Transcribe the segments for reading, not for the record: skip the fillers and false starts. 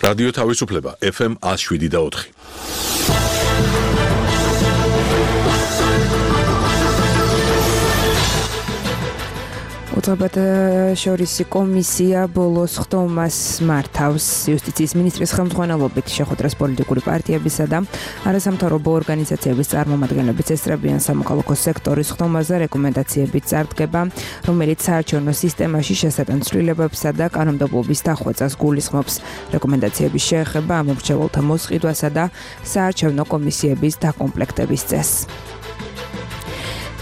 რადიო თავისუფლება FM 107.4. უწყებათა შორისი კომისია ბოლოს ხდომას მართავს იუსტიციის მინისტრის ხელმძღვანელობით შეხვედრას პოლიტიკური პარტიებისა და არასამთავრობო ორგანიზაციების წარმომადგენლებით ესწრებიან სამოქალაქო სექტორის ხდომაზე რეკომენდაციებით წარდგება, რომელიც საარჩევნო სისტემაში შესატან ცვლილებებსა და კანონმდებლობის დახვეწას გულისხმობს. რეკომენდაციების შეეხება ამომრჩეველთა მოსყიდვასა და საარჩევნო კომისიების დაკომპლექტების წესს.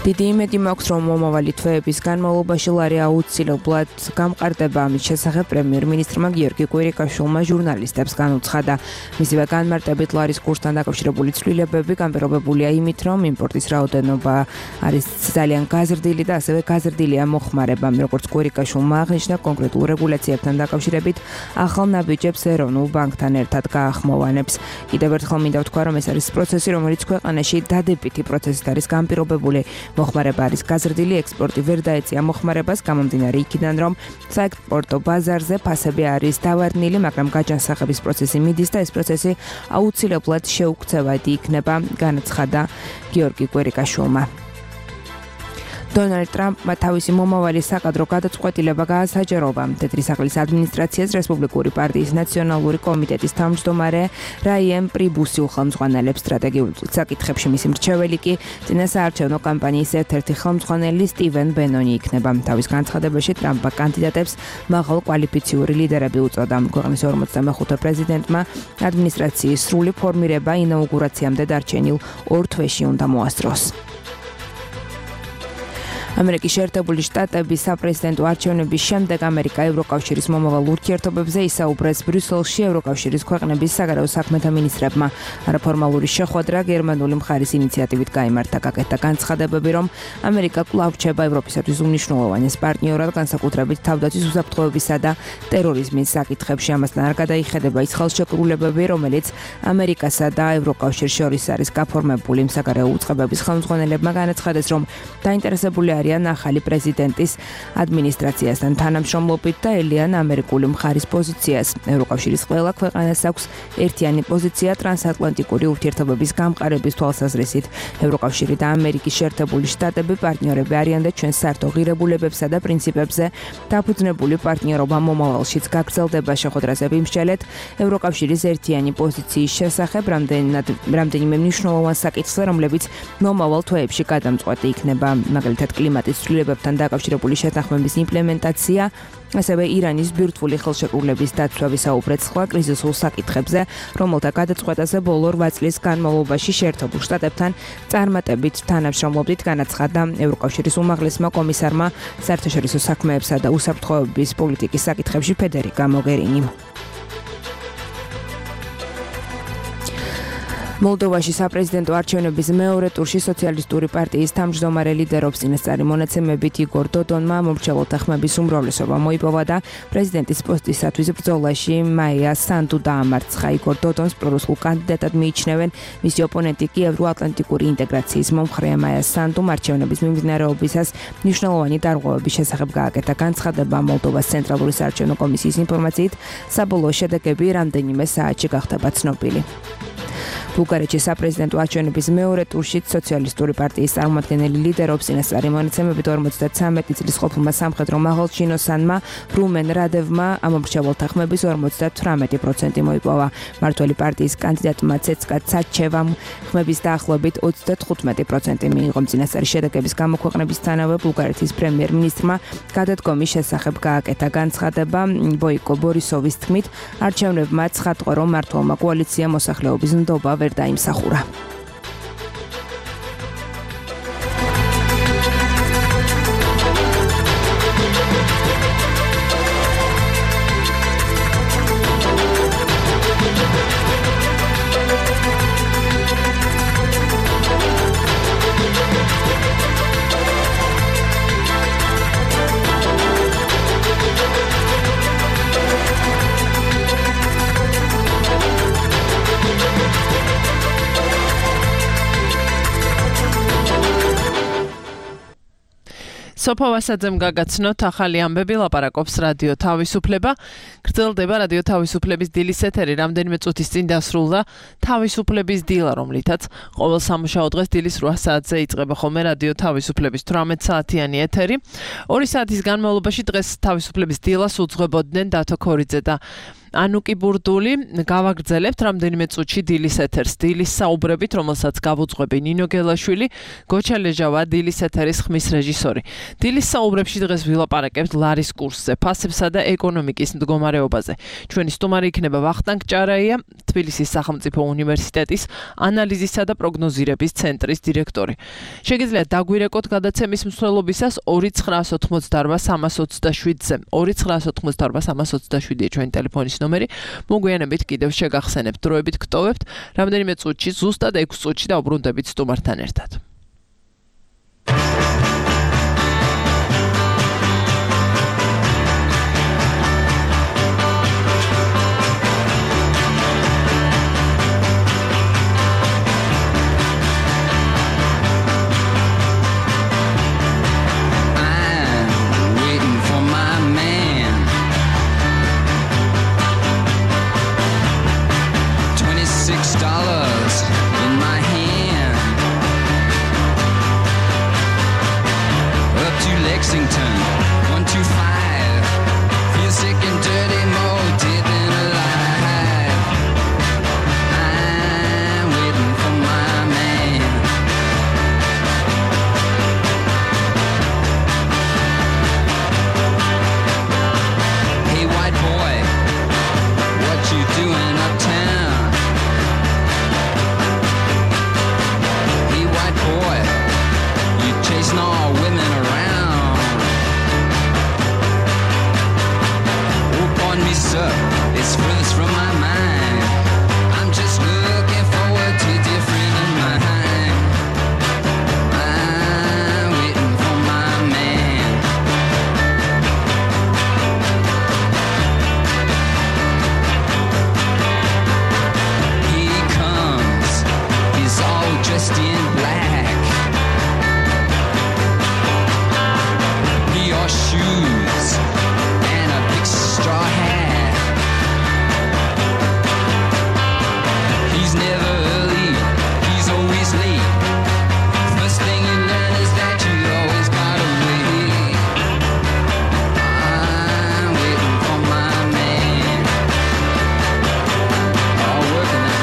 დიდი იმედი მაქვს, რომ მომავალი თვეების განმავლობაში ლარი აუცილებლად გამყარდება. ამის შესახებ პრემიერ-მინისტრმა გიორგი კვირიკაშვილმა ჟურნალისტებს განუცხადა. მისივე განმარტებით ლარის კურსთან დაკავშირებული ცვლილებები განპირობებულია იმით, რომ იმპორტის რაოდენობა არის ძალიან გაზრდილი და ასევე გაზრდილია მოხმარება. როგორც კვირიკაშვილმა აღნიშნა, კონკრეტულ რეგულაციებთან დაკავშირებით ახალ ნაბიჯებს ეროვნულ ბანკთან ერთად გაახმოვანებს. კიდევ ერთხელ მინდა ვთქვა, რომ ეს არის პროცესი, რომელიც ქვეყანაში დადებითი პროცესით არის განპირობებული. მოხმარება არის გაზრდილი, ექსპორტი ვერ დაეწია მოხმარებას, გამომდინარე იქიდან, რომ საექსპორტო ბაზარზე ფასები არის დავარდნილი, მაგრამ გაჯანსაღების პროცესი მიდის და ეს პროცესი აუცილებლად შეუქცევადი იქნება, განაცხადა გიორგი კვირიკაშვილმა. დონალდ ტრამპმა თავისი მომავალი საკადრო გადაწყვეტილება გაასაჯაროვა. თეთრი სახლის ადმინისტრაციას რესპუბლიკური პარტიის ნაციონალური კომიტეტის თავმჯდომარე რაიან პრიბუსი უხელმძღვანელებს სტრატეგიულ საკითხებში. მისი მრჩეველი კი წინასაარჩევნო კამპანიის ერთ-ერთი ხელმძღვანელი სტივენ ბენონი იქნება. თავის განცხადებაში ტრამპმა კანდიდატებს მაღალ კვალიფიციური ლიდერები უწოდა. ქვეყნის 45 პრეზიდენტმა ადმინისტრაციის სრული ფორმირება ინაუგურაციამდე დარჩენილ 2 თვეში უნდა მოასწროს. ამერიკის შეერთებული შტატების საპრეზიდენტო არჩევნების შემდეგ ამერიკა ევროკავშირის მომავალ ურთიერთობებზე ისაუბრეს ბრიუსელში ევროკავშირის ქვეყნების საგარეო საქმეთა მინისტრებმა. არაფორმალური შეხვედრა გერმანული მხარის ინიციატივით გაიმართა. გაკეთდა განცხადებები, რომ ამერიკა კვლავ რჩება ევროპისათვის უმნიშვნელოვანეს პარტნიორად, განსაკუთრებით თავდაცვის უსაფრთხოებისა და ტერორიზმის საკითხებში. ამასთან არ გადაიხედება ის ხელშეკრულებები, რომელიც ამერიკასა და ევროკავშირს შორის არის გაფორმებული. საგარეო უწყებების ხელმძღვანელებმა განაცხადეს, რომ დაინტერესებული არიან ახალი პრეზიდენტის ადმინისტრაციასთან თანამშრომლობით და ელიან ამერიკული მხარის პოზიციას. ევროკავშირის ყველა ქვეყანას აქვს ერთიანი პოზიცია ტრანსატლანტიკური ურთიერთობების გამყარების თვალსაზრისით. ევროკავშირი და ამერიკის შეერთებული შტატები პარტნიორები არიან და ჩვენს საერთო ღირებულებებსა და პრინციპებზე დაფუძნებული პარტნიორობა მომავალშიც გაგრძელდება. შეხვედრაზე ვიმსჯელეთ ევროკავშირის ერთიანი პოზიციის შესახებ რამდენიმე მნიშვნელოვან საკითხზე, რომლებიც მომავალ თვეებში გადამწყვეტი იქნება. მაგალითად კლიმატის ცვლილებებთან დაკავშირებული შეთანხმების იმპლემენტაცია, ასევე ირანის ბირთვული ხელშეკრულების დაცვა, ვისაუბრეთ სხვა კრიზისულ საკითხებზე, რომელთა გადაწყვეტაზე ბოლო 8 წლის განმავლობაში შეერთებულ შტატებთან წარმატებით თანამშრომლობდით, განაცხადა ევროკავშირის უმაღლესმა კომისარმა საერთაშორისო საქმეებსა და უსაფრთხოების პოლიტიკის საკითხებში ფედერიკა მოგერინიმ. მოლდოვაში საპრეზიდენტო არჩევნების მეორე ტურში სოციალისტური პარტიის თავმჯდომარე ლიდერობს წინასწარი მონაცემებით იგორ დოდონმა მომრჩეველთა ხმების უმრავლესობა მოიპოვა და პრეზიდენტის პოსტისათვის ბრძოლაში მაია სანდუ დაამარცხა. იგორ დოდონს პრორუსულ კანდიდატად მიიჩნევენ. მისი ოპონენტი კი ევროატლანტიკური ინტეგრაციის მომხრეა. მაია სანდუმ არჩევნების მიმდინარეობისას მნიშვნელოვანი დარღვევების შესახებ გააკეთა განცხადება. მოლდოვას ცენტრალური საარჩევნო კომისიის ინფორმაციით საბოლოო შედეგები რამდენიმე საათში გახდება ცნობილი. ბულგარეთში საპრეზიდენტო არჩევნების მეორე ტურში სოციალისტური პარტიის წარმომადგენელი ლიდერობს. წინასწარი მონაცემებით 53 წლის ყოფილმა სამხედრო მაღალჩინოსანმა რუმენ რადევმა ამომრჩეველთა ხმების 58% მოიპოვა. მმართველი პარტიის კანდიდატმა ცეცკა ცაჩევამ ხმების დაახლოებით 35% მიიღო. წინასწარი შედეგების გამოქვეყნებისთანავე ბულგარეთის პრემიერ-მინისტრმა გადადგომის შესახებ გააკეთა განცხადება. ბოიკო ბორისოვის თქმით, არჩევნებმა ცხადყო, რომ მმართველმა კოალიციამ მოსახლეობის ნდობა ვერ დაიმსახურა. სოფო ვასაძემ გაგაცნოთ ახალი ამბები, ლაპარაკობს რადიო თავისუფლება. გრძელდება რადიო თავისუფლების დილის ეთერი, რამდენიმე წუთის წინ დასრულდა თავისუფლების დილა, რომლითაც ყოველ სამუშაო დღეს დილის 8 საათზე იწყება ხოლმე რადიო თავისუფლების 18 საათიანი ეთერი. 2 საათის განმავლობაში დღეს თავისუფლების დილას უძღვებოდნენ დათო ქორიძე და ანუკი ბურდული. გავაგრძელებთ რამდენიმე წუთში დილის ეთერს. დილის საუბრებით, რომელსაც გავუძღვები ნინო გელაშვილი, გოჩა ლეჟავა, დილის ეთერის ხმის რეჟისორი. დილის საუბრებში დღეს ვილაპარაკებთ ლარის კურსზე, ფასებსა და ეკონომიკის მდგომარეობაზე. ჩვენი სტუმარი იქნება ვახტანგ ჭარაია, თბილისის სახელმწიფო უნივერსიტეტის ანალიზისა და პროგნოზირების ცენტრის დირექტორი. შეგიძლიათ დაგვირეკოთ გადაცემის მსვლელობისას 2988327-ზე. 2988327-ია ჩვენი ტელეფონის ნომერი. მოგვიანებით კიდევ შეგახსენებთ, დროებით გტოვებთ. რამდენიმე წუთში, ზუსტად 6 წუთში დავბრუნდებით სტუმართან ერთად. Lexington, 125. Feel sick and dirty, more dead than alive. I'm waiting for my man. Hey, white boy, what you doing uptown? Hey, white boy, you chasing all women around. Me, sir, it's furthest from my mind. I'm just looking forward to different in my mind. I'm waiting for my man. He comes, he's all dressed in black. He wore shoes and a big straw hat. Never early, he's always late. First thing you learn is that you always gotta wait. I'm waiting for my man. All working out.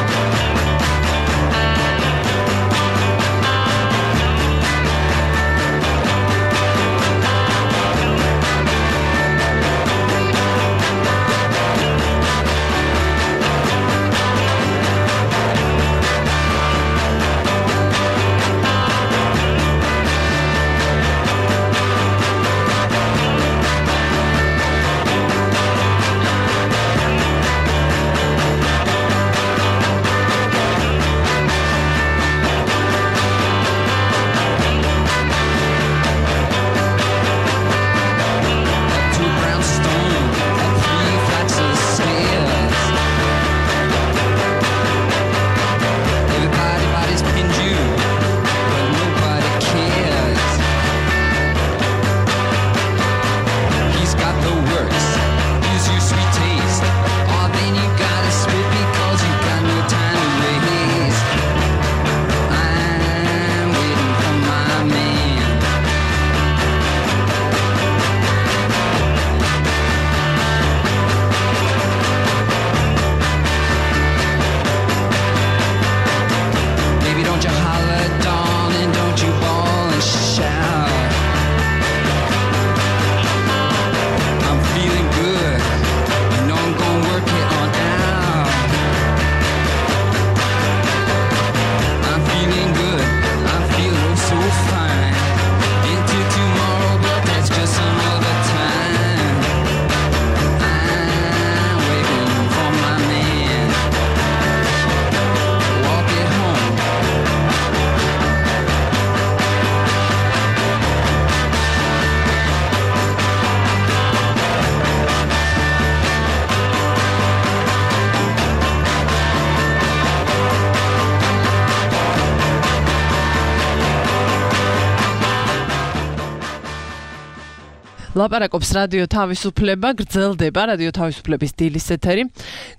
ლაპარაკობს რადიო თავისუფლება, გრძელდება რადიო თავისუფლების დილის ეთერი.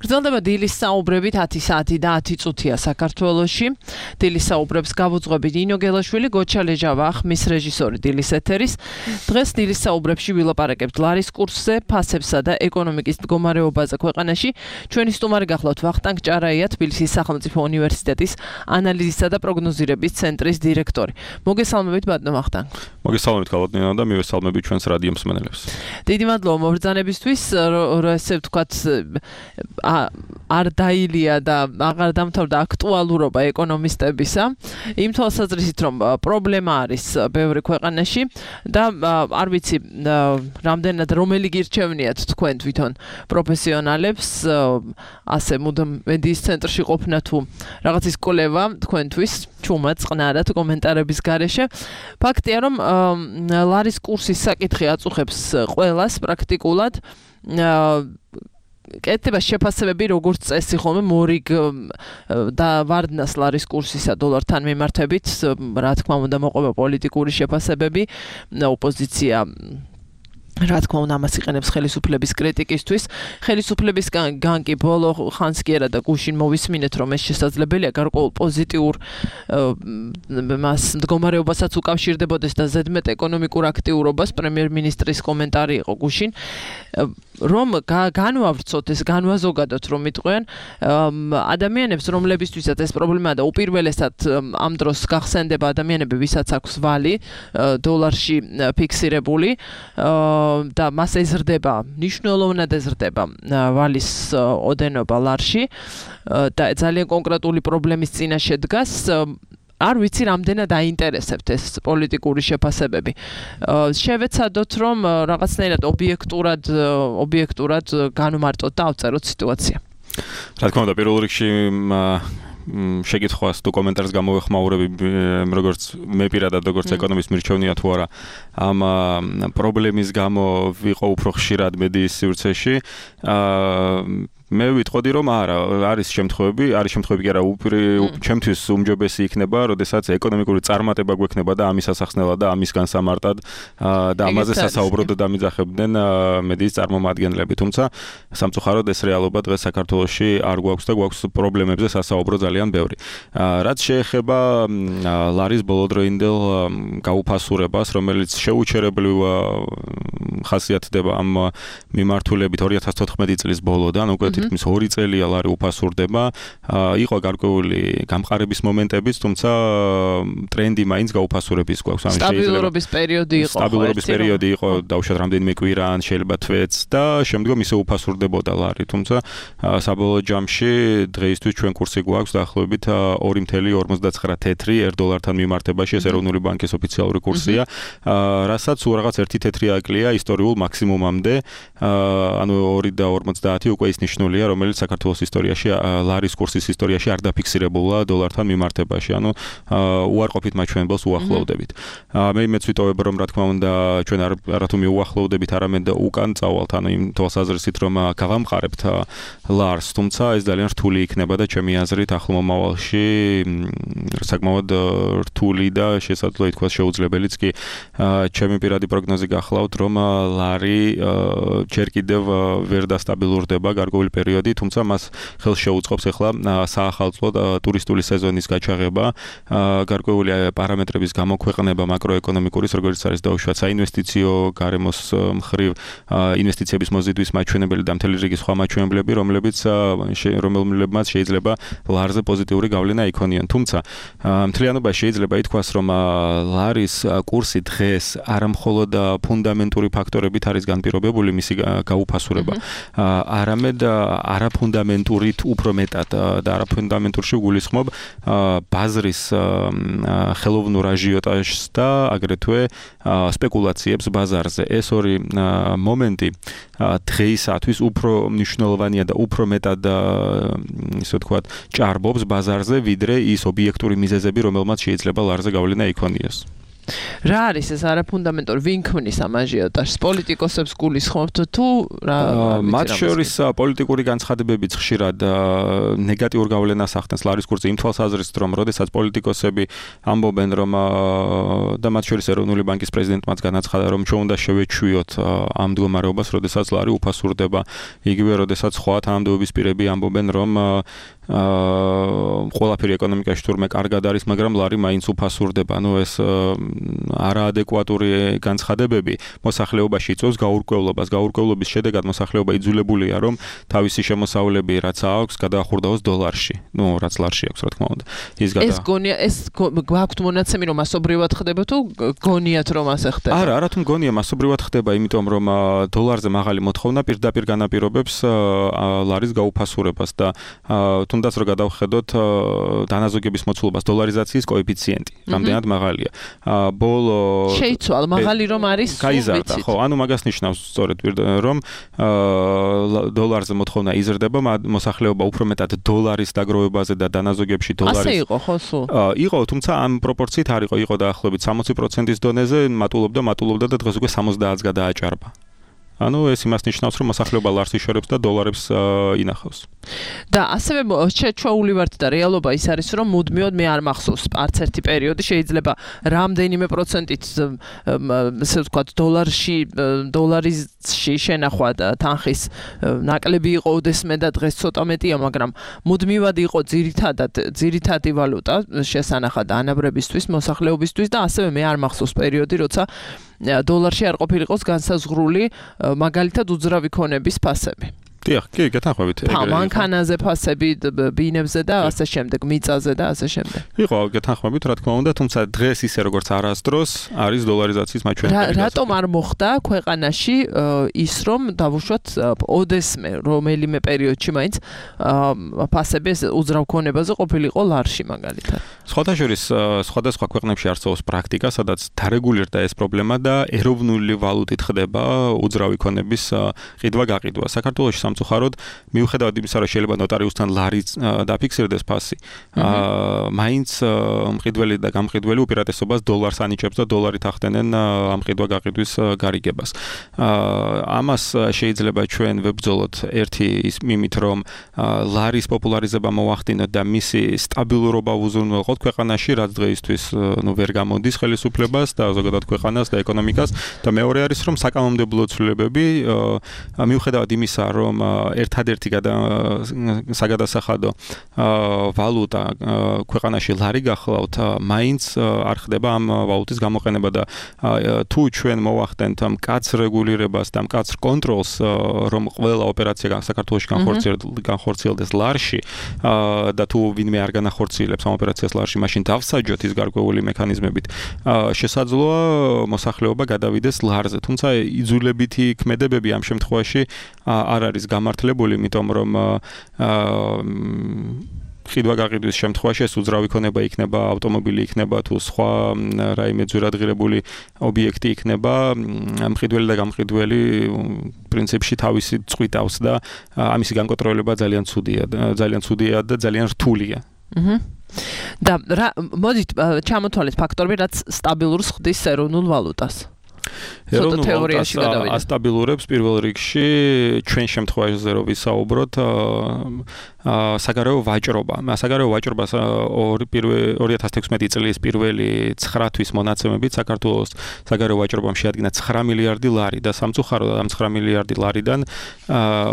გრძელდება დილის საუბრებით 10 საათი და 10 წუთია საქართველოში. დილის საუბრებს გავუძღვებით ინო გელაშვილი, გოჩა ლეჟავა, ხმის რეჟისორი დილის ეთერის. დღეს დილის საუბრებში ვილაპარაკებთ ლარის კურსზე, ფასებსა და ეკონომიკის მდგომარეობაზე ქვეყანაში. ჩვენი სტუმარი გახლავთ ვახტანგ ჭარაია, თბილისის სახელმწიფო უნივერსიტეტის ანალიზისა და პროგნოზირების ცენტრის დირექტორი. მოგესალმებით ბატონო ვახტანგ. მოგესალმებით ქალბატონო და მივესალმებით ჩვენს რადიო მსმენელებს. დიდი მადლობა მობრძანებისთვის, ესე ვთქვათ, არ დაილია და აღარ დამთავრდა აქტუალურობა ეკონომისტებისა. იმ თვალსაზრისით, რომ პრობლემა არის ბევრი ქვეყანაში და არ ვიცი, რამდენად რომელი გირჩევნიათ თქვენ თვითონ პროფესიონალებს, ასე მუდამ მედიის ცენტრში ყოფნა თუ რაღაცის კვლევა თქვენთვის, ჩუმად წყნარად კომენტარების გარეშე. ფაქტია, რომ ლარის კურსის საკითხი აწუხებს ყველას პრაქტიკულად. კეთდება შეფასებები როგორც წესი ხოლმე მორიგ და ვარდნას ლარის კურსისა დოლართან მიმართებით, რა თქმა უნდა მოყვება პოლიტიკური შეფასებები, ოპოზიცია რა თქმა უნდა ამას იყენებს ხელისუფლების კრიტიკისთვის. ხელისუფლებისგან კი ბოლო ხანს კი არა და გუშინ მოვისმინეთ, რომ ეს შესაძლებელია გარკვეულ პოზიტიურ მას მდგომარეობასაც უკავშირდებოდეს და ზედმეტ ეკონომიკურ აქტიურობას. პრემიერ-მინისტრის კომენტარი იყო გუშინ, რომ განვავრცოთ ეს, განვაზოგადოთ, რომ იტყვიან ადამიანებს, რომლებისთვისაც ეს პრობლემაა და უპირველესად ამ დროს გახსენდება ადამიანები, ვისაც აქვს ვალი დოლარში ფიქსირებული და მას ეზრდება, მნიშვნელოვნად ეზრდება ვალის ოდენობა ლარში და ძალიან კონკრეტული პრობლემის წინაშე დგას. არ ვიცი რამდენად აინტერესებთ ეს პოლიტიკური შეფასებები. შევეცადოთ, რომ რაღაცნაირად ობიექტურად განვმარტოთ და ავწეროთ სიტუაცია. რა თქმა უნდა, პირველ რიგში შეკითხვას თუ კომენტარს გამოვეხმაურები, როგორც მე პირადად, როგორც ეკონომის მირჩევნია თუ არა, ამ პრობლემის გამო ვიყო უფრო ხშირად მედიის სივრცეში. მე ვიტყოდი, რომ არა, არის შემთხვევები კი არა, ჩემთვის უმჯობესი იქნება, როდესაც ეკონომიკური წარმატება გვექნება და ამის ასახსნელად და ამის განსამარტად და ამაზე სასაუბროდ დამიძახებდნენ მედიის წარმომადგენლები. თუმცა სამწუხაროდ ეს რეალობა დღეს საქართველოში არ გვაქვს და გვაქვს პრობლემებზე სასაუბრო ძალიან ბევრი. რაც შეეხება ლარის ბოლოდროინდელ გაუფასურებას, რომელიც შეუჩერებლივ ხასიათდება ამ მიმართულებით 2014 წლის ბოლოდან, უკვე თითქმის 2 წელია ლარი უფასურდება. იყო გარკვეული გამყარების მომენტებიც, თუმცა ტრენდი მაინც გაუფასურების გვაქვს. სტაბილურობის პერიოდი იყო. სტაბილურობის პერიოდი იყო, დავუშვათ რამდენიმე კვირა, ან შეიძლება თვეც და შემდგომ ისე უფასურდებოდა ლარი. თუმცა საბოლოო ჯამში დღეისთვის ჩვენ კურსი გვაქვს დაახლოებით 2.59 თეთრი $1 მიმართებაში, ეს ეროვნული ბანკის ოფიციალური კურსია, რასაც რაღაც 1 თეთრი აკლია ისტორიულ მაქსიმუმამდე, ანუ 2.50 უკვე ის ნიშნულია, რომელიც საქართველოს ისტორიაში, ლარის კურსის ისტორიაში არ დაფიქსირებულა დოლართან მიმართებაში, ანუ უარყოფით მაჩვენებელს უახლოვდებით. მე მეც ვიტოვებ, რომ რა თქმა უნდა ჩვენ არათუ მიუახლოვდებით, არამედ უკან წავალთ, ანუ იმ თვალსაზრისით, რომ გავამყარებთ ლარს, თუმცა ეს ძალიან რთული იქნება და ჩემი აზრით ახლო მომავალში საკმაოდ რთული და შესაძლოა ითქვას შეუძლებელიც კი. ჩემი პირადი პროგნოზი გახლავთ, რომ ლარი ჯერ კიდევ ვერ დასტაბილურდება გარკვეული პერიოდი, თუმცა მას ხელს შეუწყობს ახლა საახალწლო ტურისტული სეზონის გაჩაღება, გარკვეული პარამეტრების გამოქვეყნება მაკროეკონომიკურის, როგორც არის დაუშვათ საინვესტიციო გარემოს მხრივ, ინვესტიციების მოზიდვის მაჩვენებელი და მთელი რიგი სხვა მაჩვენებლები, რომლებმაც შეიძლება ლარზე პოზიტიური გავლენა იქონიონ. თუმცა მთლიანობაში შეიძლება ითქვას, რომ ლარის კურსი დღეს არამხოლოდ ფუნდამენტური ფაქტორებით არის განპირობებული მისი გაუფასურება, არამედ არაფუნდამენტურით უფრო მეტად და არაფუნდამენტურში გულისხმობ ბაზრის ხელოვნურ აჟიოტაჟს და აგრეთვე სპეკულაციებს ბაზარზე. ეს ორი მომენტი დღეისათვის უფრო მნიშვნელოვანია და უფრო მეტად ისე ვთქვათ ჭარბობს ბაზარზე, ვიდრე ის ობიექტური მიზეზები, რომელმაც შეიძლება ლარზე გავლენა იქონიოს. რა არის ეს არაფუნდამენტური ვინ ქმნის ამ აჟიოტაჟს? პოლიტიკოსებს გულისხმობთ თუ რა? მათ შორის პოლიტიკური განცხადებებიც ხშირად ნეგატიურ გავლენას ახდენს ლარის კურსზე იმ თვალსაზრისით, რომ როდესაც პოლიტიკოსები ამბობენ, რომ და მათ შორის ეროვნული ბანკის პრეზიდენტმაც განაცხადა, რომ ჩვენ უნდა შევეჩვიოთ ამ მდგომარეობას, როდესაც ლარი უფასურდება, იგივე როდესაც სხვა თანამდებობის პირები ამბობენ, რომ ყველაფერი ეკონომიკაში თურმე კარგად არის, მაგრამ ლარი მაინც უფასურდება. ანუ ეს არაადეკვატური განცხადებები მოსახლეობაში იწვევს გაურკვევლობას. გაურკვევლობის შედეგად მოსახლეობა იძულებულია, რომ თავისი შემოსავლები რაც აქვს, გადაახურდაოს დოლარში. რაც ლარში აქვს, რა თქმა უნდა. ეს გონია, ეს გვაქვთ მონაცემი, რომ მასობრივად ხდება თუ გონიათ, რომ ასე ხდება? არა, რა თქმა გონია, მასობრივად ხდება, იმიტომ რომ დოლარზე მაღალი მოთხოვნა პირდაპირ განაპირობებს ლარის გაუფასურებას და თუნდაც რომ გადავხედოთ დანაზოგების მოცულობას დოლარიზაციის კოეფიციენტი, რამდენად მაღალია. ბოლო შეიცვალა, მაღალი რომ არის, გაიზარდა, ხო, ანუ მაგას ნიშნავს სწორედ რომ დოლარზე მოთხოვნა იზრდება, მოსახლეობა უფრო მეტად დოლარის დაგროვებაზე და დანაზოგებში დოლარის ასე იყო, ხო, სულ? იყო, თუმცა ამ პროპორციით არ იყო დაახლოებით 60%-ის დონეზე, მატულობდა და დღეს უკვე 70-ს გადააჭარბა. ანუ ეს იმას ნიშნავს, რომ მოსახლეობა ლარს იშორებს და დოლარებს ინახავს. და ასევე შეჩვეული ვართ და რეალობა ის არის, რომ მუდმივად მე არ მახსოვს არც ერთი პერიოდი შეიძლება რამდენიმე პროცენტით ესე ვთქვათ დოლარში შენახვა და თანხის ნაკლები იყო ოდესმე და დღეს ცოტა მეტია, მაგრამ მუდმივად იყო ძირითადი ვალუტა შესანახად ანაბრებისთვის, მოსახლეობისთვის და ასევე მე არ მახსოვს პერიოდი, როცა დოლარში არ ყოფილიყოს განსაზღვრული მაგალითად უძრავი ქონების ფასები. დიახ, კი, გეთანხმებით. მანქანაზე ფასები, ბინებზე და ასე შემდეგ, მიწაზე და ასე შემდეგ. იყო, გეთანხმებით, რა თქმა უნდა, თუმცა დღეს ისე როგორც არასდროს არის დოლარიზაციის მაჩვენებელი. რატომ არ მოხდა ქვეყანაში ის, რომ დავუშვათ ოდესმე რომელიმე პერიოდში მაინც ფასები უძრავ ქონებაზე ყოფილიყო ლარში მაგალითად. სხვადასხვა სხვადასხვა ქვეყნებში არსებობს პრაქტიკა, სადაც დარეგულირდა ეს პრობლემა და ეროვნული ვალუტით ხდება უძრავი ქონების ყიდვა-გაყიდვა. საქართველოში სამწუხაროდ მიუხედავად იმისა, რომ შეიძლება ნოტარიუსთან ლარიც დაფიქსირდეს ფასი, მაინც მყიდველი და გამყიდველი უპირატესობას დოლარს ანიჭებს და დოლარით ახდენენ ამ ყიდვა-გაყიდვის გარიგებას. ამას შეიძლება ჩვენ ვებრძოლოთ ერთი ის მიმით, რომ ლარის პოპულარიზება მოახდინოთ და მისი სტაბილურობა უზრუნველყოთ ქვეყანაში, რაც დღეისთვის ვერ გამოდის ხელისუფლებას და ზოგადად ქვეყანას და ეკონომიკას და მეორე არის, რომ საკანონმდებლო ცვლილებები მიუხედავად იმისა, რომ ერთადერთი საგადასახადო ვალუტა ქვეყანაში ლარი გახლავთ, მაინც არ ხდება ამ ვალუტის გამოყენება და თუ ჩვენ მოვახდენთ მკაცრ რეგულირებას და მკაცრ კონტროლს, რომ ყველა ოპერაცია საქართველოში განხორციელდეს ლარში და თუ ვინმე არ განახორციელებს ამ ოპერაციას ლარში, მაშინ დავსაჯოთ ის გარკვეული მექანიზმებით, შესაძლოა მოსახლეობა გადავიდეს ლარზე, თუმცა იძულებითი ქმედებები ამ შემთხვევაში არ არის გამართლებული, იმიტომ რომ ყიდვა-გაყიდვის შემთხვევაში ეს უძრავი ქონება იქნება, ავტომობილი იქნება თუ სხვა რაიმე ძვირადღირებული ობიექტი იქნება, მყიდველი და გამყიდველი პრინციპში თავისი წვიტავს და ამისი განკონტროლება ძალიან ცუდია და ძალიან რთულია. და მოდით ჩამოთვალეთ ფაქტორები, რაც სტაბილურს ხდის ეროვნულ ვალუტას. ეროვნულ ვალუტას ასტაბილურებს პირველ რიგში ჩვენ შემთხვევაში რო ვისაუბროთ საგარეო ვაჭრობა. საგარეო ვაჭრობას 2016 წლის პირველი 9 თვის მონაცემებით საქართველოს საგარეო ვაჭრობამ შეადგინა 9 მილიარდი ლარი და სამწუხაროდ ამ 9 მილიარდი ლარიდან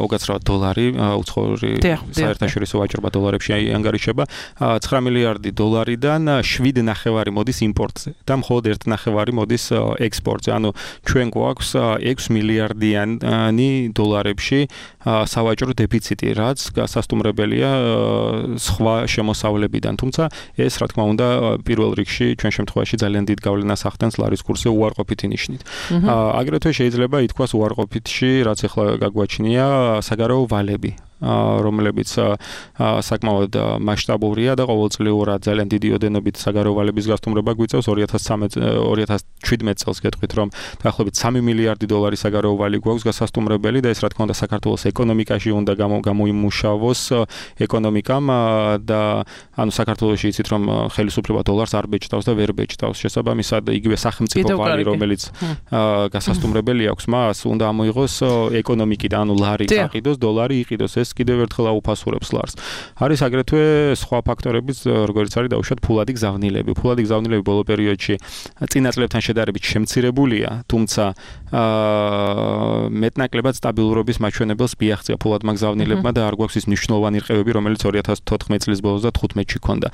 უკაცრავად დოლარი უცხოური საერთაშორისო ვაჭრობა დოლარებში ანგარიშება 9 მილიარდი დოლარიდან 7.5 მოდის იმპორტზე და მხოლოდ 1.5 მოდის ექსპორტზე. ანუ ჩვენ გვაქვს 6 მილიარდიანი დოლარებში სავაჭრო დეფიციტი, რაც გასასტუმრებელია სხვა შემოსავლებიდან. თუმცა ეს რა თქმა უნდა პირველ რიგში ჩვენ შემთხვევაში ძალიან დიდ გავლენას ახდენს ლარის კურსზე უარყოფითი ნიშნით. აგრეთვე შეიძლება ითქვას უარყოფითში, რაც ახლა გაგვაჩნია საგარეო ვალები. რომლებიც საკმაოდ მასშტაბურია და ყოველწლიურად ძალიან დიდი ოდენობით საგარეო ვალების გასტუმრება გვიწევს 2017 წელს გეტყვით რომ დაახლოებით 3 მილიარდი დოლარი საგარეო ვალი გვაქვს გასასტუმრებელი და ეს რა თქმა უნდა საქართველოს ეკონომიკაში უნდა გამოიმუშავოს ეკონომიკამ და ანუ საქართველოში იცით რომ ხელისუფლება დოლარს არ ბეჭდავს და ვერ ბეჭდავს შესაბამისად იგივე სახელმწიფო ვალი რომელიც გასასტუმრებელი აქვს მას უნდა ამოიღოს ეკონომიკიდან ანუ ლარი გაყიდოს დოლარი იყიდოს ეს კიდევ ერთხელ აუფასურებს ლარს არის აგრეთვე სხვა ფაქტორებიც როგორც არის დაუშვათ ფულადი გზავნილები ბოლო პერიოდში წინა წლებთან შედარებით შემცირებულია თუმცა მეტნაკლებად სტაბილურობის მაჩვენებელს მიაღწია ფულადმა გზავნილებმა და არ გვაქვს ის მნიშვნელოვანი რყევები რომელიც 2014 წლის ბოლოს და 15-ში ჰქონდა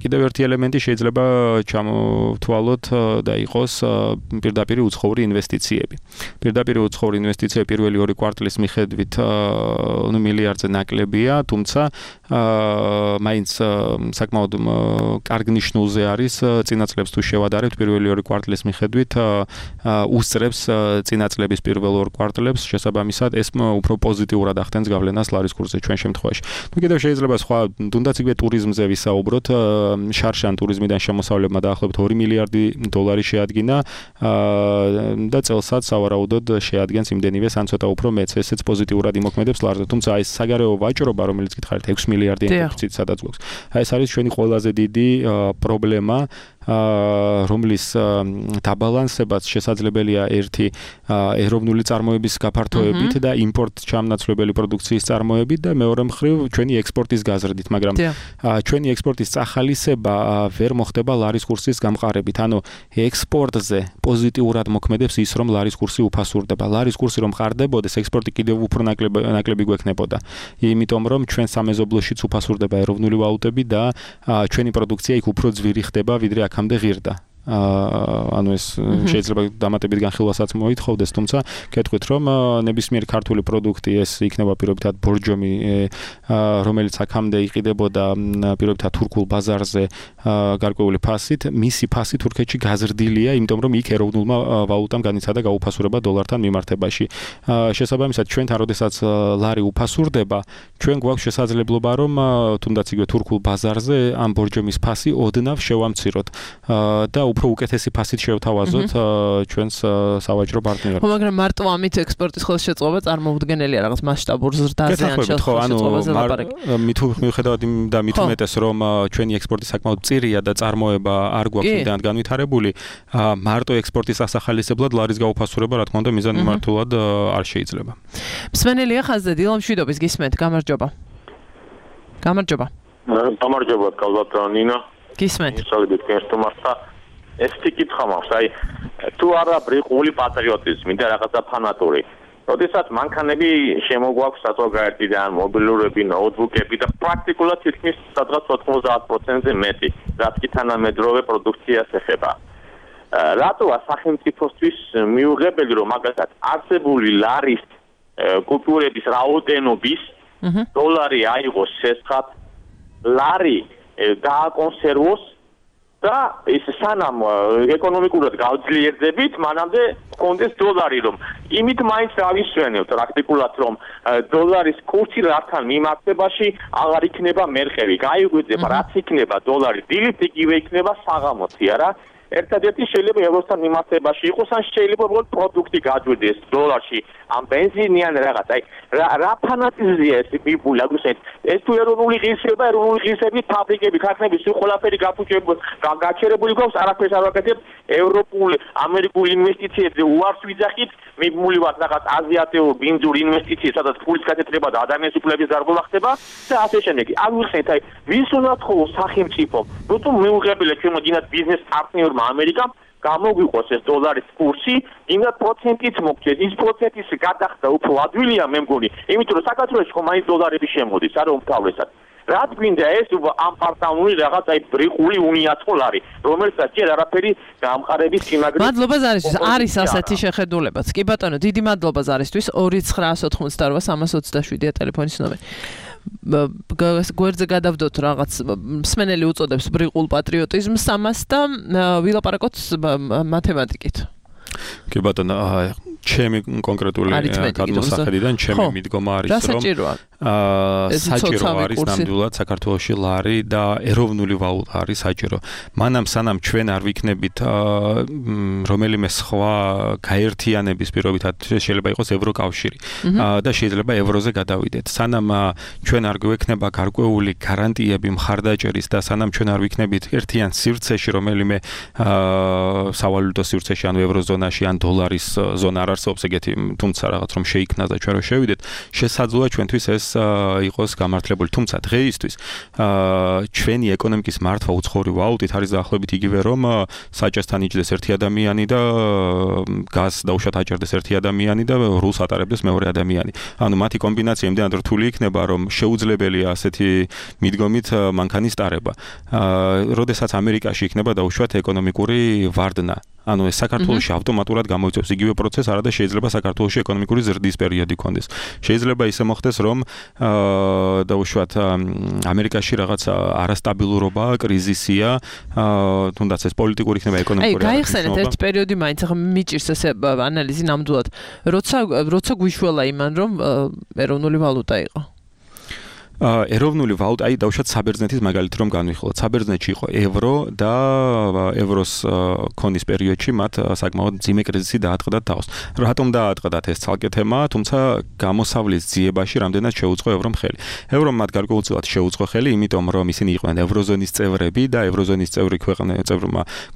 კიდევ ერთი ელემენტი შეიძლება ჩამოვთვალოთ და იყოს პირდაპირ უცხოური ინვესტიციები პირველი 2 კვარტლის მიხედვით მილიარდზე ნაკლებია თუმცა მაინც საკმაოდ კარგ ნიშნულზე არის წინა წლებს თუ შევადარებთ პირველი 2 კვარტლის მიხედვით უსწრებს წინა წლების პირველ 2 კვარტლებს შესაბამისად ეს უფრო პოზიტიურად ახდენს გავლენას ლარის კურსზე ჩვენ შემთხვევაში კიდევ შეიძლება სხვა თუნდაც იგივე ტურიზმზე ვისაუბროთ შარშან ტურიზმიდან შემოსავლებმა დაახლოებით 2 მილიარდი დოლარი შეადგინა და წელსაც სავარაუდოდ შეადგენს იმდენივე ან ცოტა უფრო მეც ესეც პოზიტიურად იმოქმედებს ლარზე თუმცა ეს საგარეო ვაჭრობა რომელიც გითხარით 6 მილიარდი დეფიციტ სადაც გვაქვს ეს არის ჩვენი ყველაზე დიდი პრობლემა რომლის დაბალანსებაც შესაძლებელია ერთი ეროვნული წარმოების გაფართოებით და იმპორტ ჩამნაცვლებელი პროდუქციის წარმოებით და მეორე მხრივ ჩვენი ექსპორტის გაზრდით მაგრამ ჩვენი ექსპორტის წახალისება ვერ მოხდება ლარის კურსის გამყარებით ანუ ექსპორტზე პოზიტიურად მოქმედებს ის რომ ლარის კურსი უფასურდება ლარის კურსი რომ ყარდებოდეს ექსპორტი კიდევ უფრო ნაკლები გვექნებოდა იმიტომ რომ ჩვენ სამეზობლოშიც უფასურდება ეროვნული ვალუტები და ჩვენი პროდუქცია იქ უფრო ძვირი ხდება ვიდრე აქამდე ღირდა ანუ ეს შეიძლება დამატებით განხილვასაც მოითხოვდეს თუმცა გეტყვით რომ ნებისმიერი ქართული პროდუქტი ეს იქნება პირობითად ბორჯომი რომელიც აქამდე იყიდებოდა პირობითად თურქულ ბაზარზე გარკვეული ფასით მისი ფასი თურქეთში გაზრდილია იმიტომ რომ იქ ეროვნულმა ვალუტამ განიცადა გაუფასურება დოლართან მიმართებაში შესაბამისად ჩვენთან როდესაც ლარი უფასურდება ჩვენ გვაქვს შესაძლებლობა რომ თუნდაც იგივე თურქულ ბაზარზე ამ ბორჯომის ფასი ოდნავ შევამციროთ და უფრო უკეთესი ფასით შევთავაზოთ ჩვენს სავაჭრო პარტნიორებს. მაგრამ მარტო ამით ექსპორტის ხელშეწყობა წარმოუდგენელია რაღაც მასშტაბურ ზრდაზე ან ხელშეწყობაზე ლაპარაკი. მიუხედავად იმ და მით უმეტეს რომ ჩვენი ექსპორტი საკმაოდ მწირია და წარმოება არ გვაქვს იმდანად განვითარებული, მარტო ექსპორტის ასახალისებლად ლარის გაუფასურება რა თქმა უნდა მიზანმიმართულად არ შეიძლება. მსმენელია ხაზზე დილა მშვიდობის გისმენთ, გამარჯობა. გამარჯობა. გამარჯობა, კალბატონ ნინა. გისმენთ. ისალებით გესტუმართა ეს თიკითხა მაქვს, აი თუ არა ბრიყული პატრიოტიზმი და რაღაცა ფანატური. როდესაც მანქანები შემოგვაქვს საზოგადოებიდან, მობილურები, ნოუთბუქები და პრაქტიკულად თითქმის სადღაც 90%-ზე მეტი, რაც კი თანამედროვე პროდუქციას ეხება. რატოა სახელმწიფოსთვის მიუღებელი რომ მაგალითად არსებული ლარის კუპიურების რაოდენობის დოლარი აიღოს სესხად, ლარი გააკონსერვოს და ის სანამ ეკონომიკურად გავძლიერდებით, მანამდე კონდეს დოლარი რომ იმით მაინც დავისვენებთ პრაქტიკულად რომ დოლარის კურსი რასთან მიმართებაში აღარ იქნება მერყევი. გაიგვიძება რაც იქნება დოლარი დილით იგივე იქნება საღამოთი არა? ერთადერთი შეიძლება ევროსთან მიმართებაში იყოს ან შეიძლება უბრალოდ პროდუქტი გაჯვდეს დოლარში ამ ბენზინი ან რაღაც აი რა ფანატიზმია ეს მიბული აგუსეთ ეს თუ ეროვნული ღირსების ფაბრიკები ქარხნები სულ ყველაფერი გაჩერებული გვაქვს არაფერს არ ვაკეთებ ევროპული ამერიკული ინვესტიციებზე უარს ვიძახით მიბული ვართ რაღაც აზიატეო ბინძური ინვესტიციები სადაც ფულის გაკეთება და ადამიანის უფლების დარღვევა ხდება და ასე შემდეგ აგუსეთ აი ვის უნდა თხოვოს სახელმწიფო როცა მიუღებელია ჩვენ მოგინათ ბიზნეს პარტნიორმა ამერიკამ გამოგვიყოს ეს დოლარის კურსი, იმდა პროცენტით მოგჭეს, ის პროცენტის გადახდა უფრო ადვილია მე მგონი, იმიტომ რომ საქართველოში ხომ აი დოლარები შემოდის, არა უმთავრესად. რაც გვინდა ეს ამ პარტნიორული რაღაც აი ბრიყული უნიაცოლარი, რომელსაც ჯერ არაფერი გამყარების სიმაგრე. მადლობა ზარისთვის, არის ასეთი შეხედულებაც. კი ბატონო, დიდი მადლობა ზარისთვის 2988-327-ია ტელეფონის ნომერი. გვერდზე გადავდოთ რაღაც მსმენელი უწოდებს ბრიყულ პატრიოტიზმს ამას და ვილაპარაკოთ მათემატიკით. კი ბატონო, ჩემი კონკრეტული გადმოსახედიდან ჩემი მიდგომა არის რომ საჭირო არის ნამდვილად საქართველოში ლარი და ეროვნული ვალუტა არის საჭირო. მანამ სანამ ჩვენ არ ვიქნებით რომელიმე სხვა გაერთიანების პირობითად შეიძლება იყოს ევროკავშირი და შეიძლება ევროზე გადავიდეთ. სანამ ჩვენ არ გვექნება გარკვეული გარანტიები მხარდაჭერის და სანამ ჩვენ არ ვიქნებით ერთიან სივრცეში რომელიმე სავალუტო სივრცეში ან ევროზონაში ან დოლარის ზონა არ არსებობს ეგეთი თუმცა რაღაც რომ შეიქმნას და ჩვენ რომ შევიდეთ შესაძლოა ჩვენთვის ეს იყოს გამართლებული. თუმცა დღეისთვის ჩვენი ეკონომიკის მართვა უცხოური ვალუტით არის დაახლოებით იგივე რომ საჭესთან იჯდეს ერთი ადამიანი და გაზს დაუშვათ აჭერდეს ერთი ადამიანი და რულს ატარებდეს მეორე ადამიანი. ანუ მათი კომბინაცია იმდენად რთული იქნება რომ შეუძლებელია ასეთი მიდგომით მანქანის ტარება. როდესაც ამერიკაში იქნება დაუშვათ ეკონომიკური ვარდნა. ანუ ეს საქართველოში ავტომატურად გამოიწვევს იგივე პროცესს, არადა შეიძლება საქართველოში ეკონომიკური ზრდის პერიოდი კონდეს. შეიძლება ისე მოხდეს, რომ დაუშვათ ამერიკაში რაღაც არასტაბილურობა, კრიზისია, თუნდაც ეს პოლიტიკური იქნება ეკონომიკური. გაიხსენეთ ერთ პერიოდი მაინც ახლა მიჭირს ესე ანალიზი ნამდვილად. როცა გვიშველა იმან რომ ეროვნული ვალუტა იყო. ეროვნული ვალუტა, აი დავუშვათ საბერძნეთის მაგალითი რომ განვიხილოთ. საბერძნეთში იყო ევრო და ევროს ქონის პერიოდში მათ საკმაოდ ძიმე კრიზისი დაატყდა თავს. რატომ დაატყდათ ეს ცალკე თემაა, თუმცა გამოსავლის ძიებაში რამდენად შეუწყო ევრომ ხელი. ევრომ მათ გარკვეულწილად შეუწყო ხელი, იმიტომ რომ ისინი იყვნენ ევროზონის წევრები და ევროზონის წევრი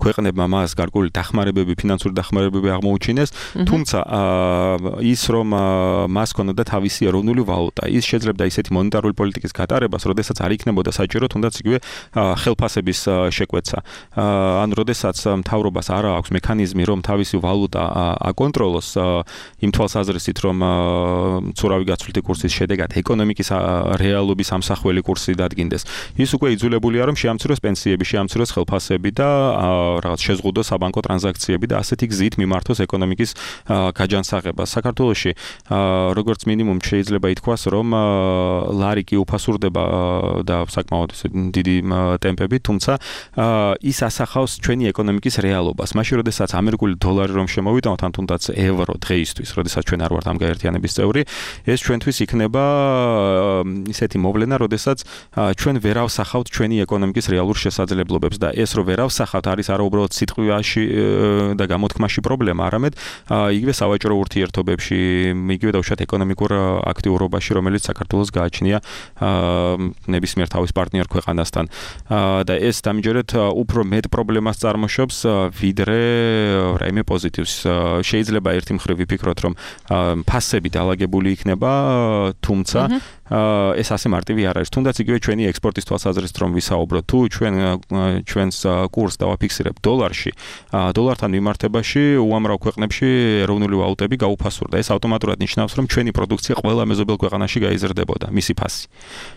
ქვეყნებმა მას გარკვეული დახმარებები, ფინანსური დახმარებები აღმოუჩინეს, თუმცა ის რომ მას ჰქონოდა თავისი ეროვნული ვალუტა, ის შეძლებდა ისეთი მონეტარული პოლიტიკის გატარებას, როდესაც არ იქნებოდა საჭირო თუნდაც იგივე ხელფასების შეკვეცა. ან როდესაც მთავრობას არ აქვს მექანიზმი, რომ თავისი ვალუტა აკონტროლოს იმ თვალსაზრისით, რომ ცურავი გაცვლითი კურსის შედეგად ეკონომიკის რეალობის ამსახველი კურსი დადგინდეს. ის უკვე იძულებულია, რომ შეამციროს პენსიები, შეამციროს ხელფასები და რაღაც შეზღუდოს საბანკო ტრანზაქციები და ასეთი გზით მიმართოს ეკონომიკის გაჯანსაღება. საქართველოში როგორც მინიმუმ შეიძლება ითქვას, რომ ლარი კი უფასურდება და საკმაოდ დიდი ტემპებით, თუმცა ის ასახავს ჩვენი ეკონომიკის რეალობას. მაშინ როდესაც ამერიკული დოლარი რომ შემოვიტანოთ, ან თუნდაც ევრო დღეისთვის, როდესაც ჩვენ არ ვართ ამ გაერთიანების წევრი, ეს ჩვენთვის იქნება ისეთი მოვლენა, როდესაც ჩვენ ვერ ავსახავთ ჩვენი ეკონომიკის რეალურ შესაძლებლობებს და ეს რომ ვერ ავსახავთ არის არა უბრალოდ სიტყვაში და გამოთქმაში პრობლემა, არამედ იგივე სავაჭრო ურთიერთობებში, იგივე დავუშვათ ეკონომიკურ აქტიურობაში, რომელიც საქართველოს გააჩნია ნებისმიერ თავის პარტნიორ ქვეყანასთან და ეს დამჯერად უფრო მეტ პრობლემას წარმოშობს ვიდრე რაიმე პოზიტივს. შეიძლება ერთი მხრივ ვიფიქროთ, რომ ფასები დაალაგებული იქნება, თუმცა ეს ასე მარტივი არ არის. თუნდაც იგივე ჩვენი ექსპორტის თვალსაზრისით რომ ვისაუბროთ, თუ ჩვენს კურსს დავაფიქსირებთ დოლარში, დოლართან მიმართებაში უამრავ ქვეყნებში ეროვნული ვალუტები გაუფასურდა. ეს ავტომატურად ნიშნავს, რომ ჩვენი პროდუქცია ყველა მეზობელ ქვეყანაში გაიზრდებოდა, მისი ფასი.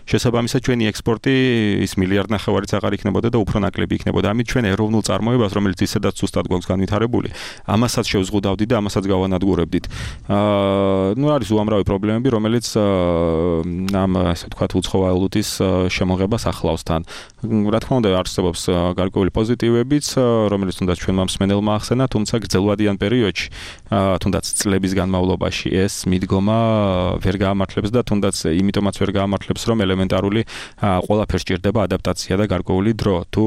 შესაბამისად ჩვენი ექსპორტი ის მილიარდნახევარიც აღარ იქნებოდა და უფრო ნაკლები იქნებოდა. ამით ჩვენ ეროვნულ წარმოებას, რომელიც ისედაც სუსტად გვაქვს განვითარებული, ამასაც შევზღუდავდით და ამასაც გავანადგურებდით. ნუ არის უამრავი პრობლემები, რომელიც ამ ასე ვთქვათ უცხოვალუტის შემოღებას ახლავს თან. რა თქმა უნდა არსებობს გარკვეული პოზიტივებიც, რომელიც თუნდაც ჩვენმა მსმენელმა ახსენა, თუმცა გრძელვადიან პერიოდში, თუნდაც წლების განმავლობაში ეს მიდგომა ვერ გაამართლებს და თუნდაც იმიტომაც ვერ გაამართლებს, რომ ელემენტარული ყველაფერს ჭირდება ადაპტაცია და გარკვეული დრო. თუ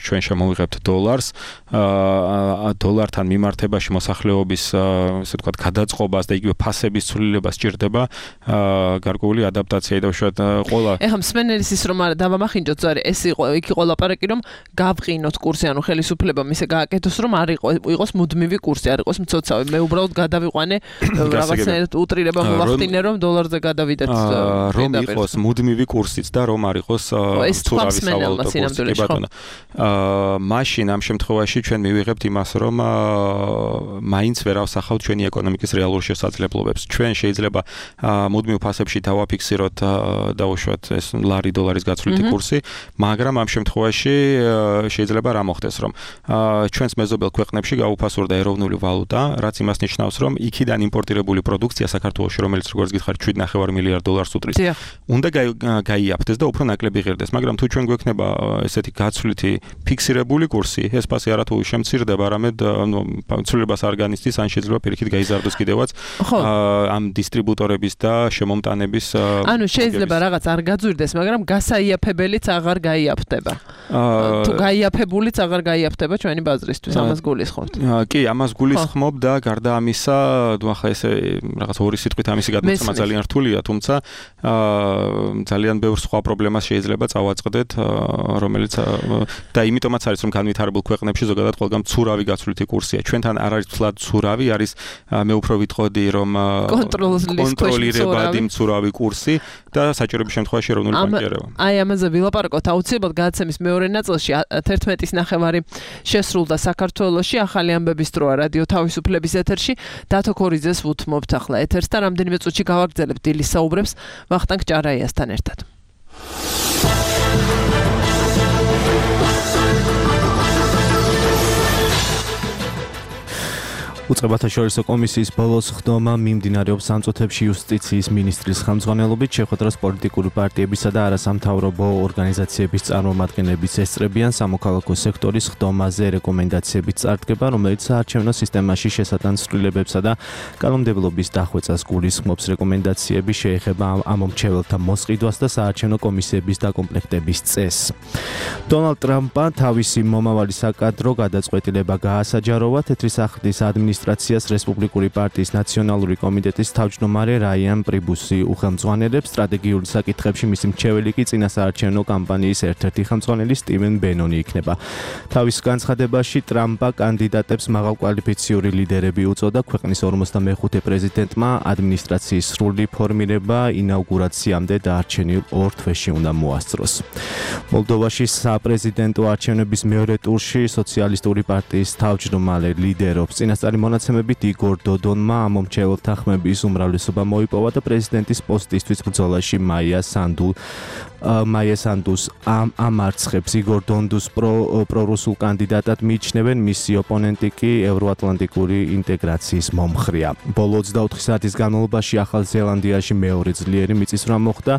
ჩვენ შემოვიღებთ დოლარს, დოლართან მიმართებაში მოსახლეობის ასე ვთქვათ გადაწყობას და იგივე ფასების ცვლილებას ჭირდება გარკვეული ადაპტაცია და უშუალოდ ყველა ეხლა მსმენელის ის რომ არა დავამახინჯოთ ზარი ეს იქ იყო ლაპარაკი რომ გავყინოთ კურსი ანუ ხელისუფლებამ ისე გააკეთოს რომ არ იყოს მუდმივი კურსი არ იყოს მცოცავი მე უბრალოდ გადავიყვანე რაღაცნაირად უტრირება მოვახდინე რომ დოლარზე გადავიდეთ რომ იყოს მუდმივი კურსიც და რომ არ იყოს ცურავი სავალუტო კურსი ბატონო მაშინ ამ შემთხვევაში ჩვენ მივიღებთ იმას რომ მაინც ვერ ავსახავთ ჩვენი ეკონომიკის რეალურ შესაძლებლობებს ჩვენ შეიძლება მუდმივ ფასებში დავაფიქსიროთ დაუშვათ ეს ლარი დოლარის გაცვლითი კურსი მაგრამ ამ შემთხვევაში შეიძლება რა მოხდეს რომ ჩვენს მეზობელ ქვეყნებში გაუფასურდა ეროვნული ვალუტა რაც იმას ნიშნავს რომ იქიდან იმპორტირებული პროდუქცია საქართველოში რომელიც როგორც გითხარით 7.5 მილიარდ დოლარს utris უნდა გაიაფთეს და უფრო ნაკლები ღირდეს მაგრამ თუ ჩვენ გვექნება ესეთი გაცვლითი ფიქსირებული კურსი ეს ფასი არათუ შემცირდება არამედ ცვლილებას არ განიცდის ან შეიძლება პირიქით გაიზარდოს კიდევაც ამ დისტრიბუტორების და შემომტანების ანუ შეიძლება რაღაც არ გაძვირდეს, მაგრამ გასაიაფებელიც აღარ გაიაფდება. თუ გაიაფებულიც აღარ გაიაფდება ჩვენი ბაზრისთვის, ამას გულისხმობთ. კი, ამას გულისხმობ და გარდა ამისა, ახლა ესე რაღაც ორი სიტყვით ამისი გადმოცემა ძალიან რთულია, თუმცა ძალიან ბევრ სხვა პრობლემას შეიძლება წავაწყდეთ, რომელიც და იმიტომაც არის რომ განვითარებულ ქვეყნებში ზოგადად ყველგან მცურავი გაცვლითი კურსია. ჩვენთან არ არის თლად მცურავი, არის მე უფრო ვიტყოდი რომ კონტროლირებადი მცურავი კურსი და საჭიროების შემთხვევაში ეროვნული ბანკიერება. აი ამაზე ვილაპარაკოთ აუცილებლად გადაცემის მეორე ნაწილში 11:30 შესრულდა საქართველოში ახალი ამბების დროა რადიო თავისუფლების ეთერში. დათო ქორიძეს ვუთმობთ ახლა ეთერს და რამდენიმე წუთში გავაგრძელებთ დილის საუბრებს ვახტანგ ჭარაიასთან ერთად. უწყებათა შორისო კომისიის ბოლოს ხდომა მიმდინარეობს სამწუთებში იუსტიციის მინისტრის ხელმძღვანელობით შეხვედრას პოლიტიკური პარტიებისა და არასამთავრობო ორგანიზაციების წარმომადგენლების ესწრებიან სამოქალაქო სექტორის ხდომაზე რეკომენდაციებით წარდგება, რომელიც საარჩევნო სისტემაში შესატანცვლილებებსა და კანონმდებლობის დახვეწას გულისხმობს. რეკომენდაციები შეეხება ამომრჩეველთა მოსყიდვას და საარჩევნო კომისიების დაკომპლექტების წესს. დონალდ ტრამპმა თავისი მომავალი საკადრო გადაწყვეტილება გაასაჯაროვა თეთრი სახლის ადმინისტრაციას რესპუბლიკური პარტიის ნაციონალური კომიტეტის თავმჯდომარე რაიან პრიბუსი უხელმძღვანელებს. სტრატეგიული საკითხებში მისი მრჩეველი კი წინასაარჩევნო კამპანიის ერთ-ერთი ხელმძღვანელი სტივენ ბენონი იქნება. თავის განცხადებაში ტრამპა კანდიდატებს მაღალკვალიფიციური ლიდერები უწოდა. ქვეყნის 45 პრეზიდენტმა ადმინისტრაციის სრული ფორმირება ინაუგურაციამდე დარჩენილ 2 თვეში უნდა მოასწროს. მოლდოვაში საპრეზიდენტო არჩევნების მეორე ტურში სოციალისტური პარტიის თავმჯდომარე ლიდერობს. წინასწარი მონაცემებით იგორ დოდონმა ამომრჩეველთა ხმების უმრავლესობა მოიპოვა და პრეზიდენტის პოსტისთვის ბრძოლაში მაია სანდუს ამარცხებს. იგორ დონდუს პრორუსულ კანდიდატად მიიჩნევენ, მისი ოპონენტი კი ევროატლანტიკური ინტეგრაციის მომხრეა. ბოლო 24 საათის განმავლობაში ახალ ზელანდიაში მეორე ძლიერი მიწისძვრა მოხდა.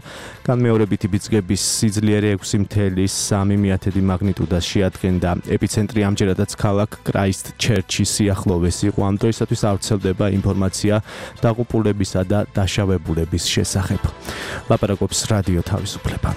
განმეორებითი ბიძგების სიძლიერე 6.3 მაგნიტუდას შეადგენდა. ეპიცენტრი ამჯერადაც ქალაქ კრაისტჩერჩის სიახლოვეს იყო. ამ დროისათვის არ ვრცელდება ინფორმაცია დაღუპულებისა და დაშავებულების შესახებ. ლაპარაკობს რადიო თავისუფლება.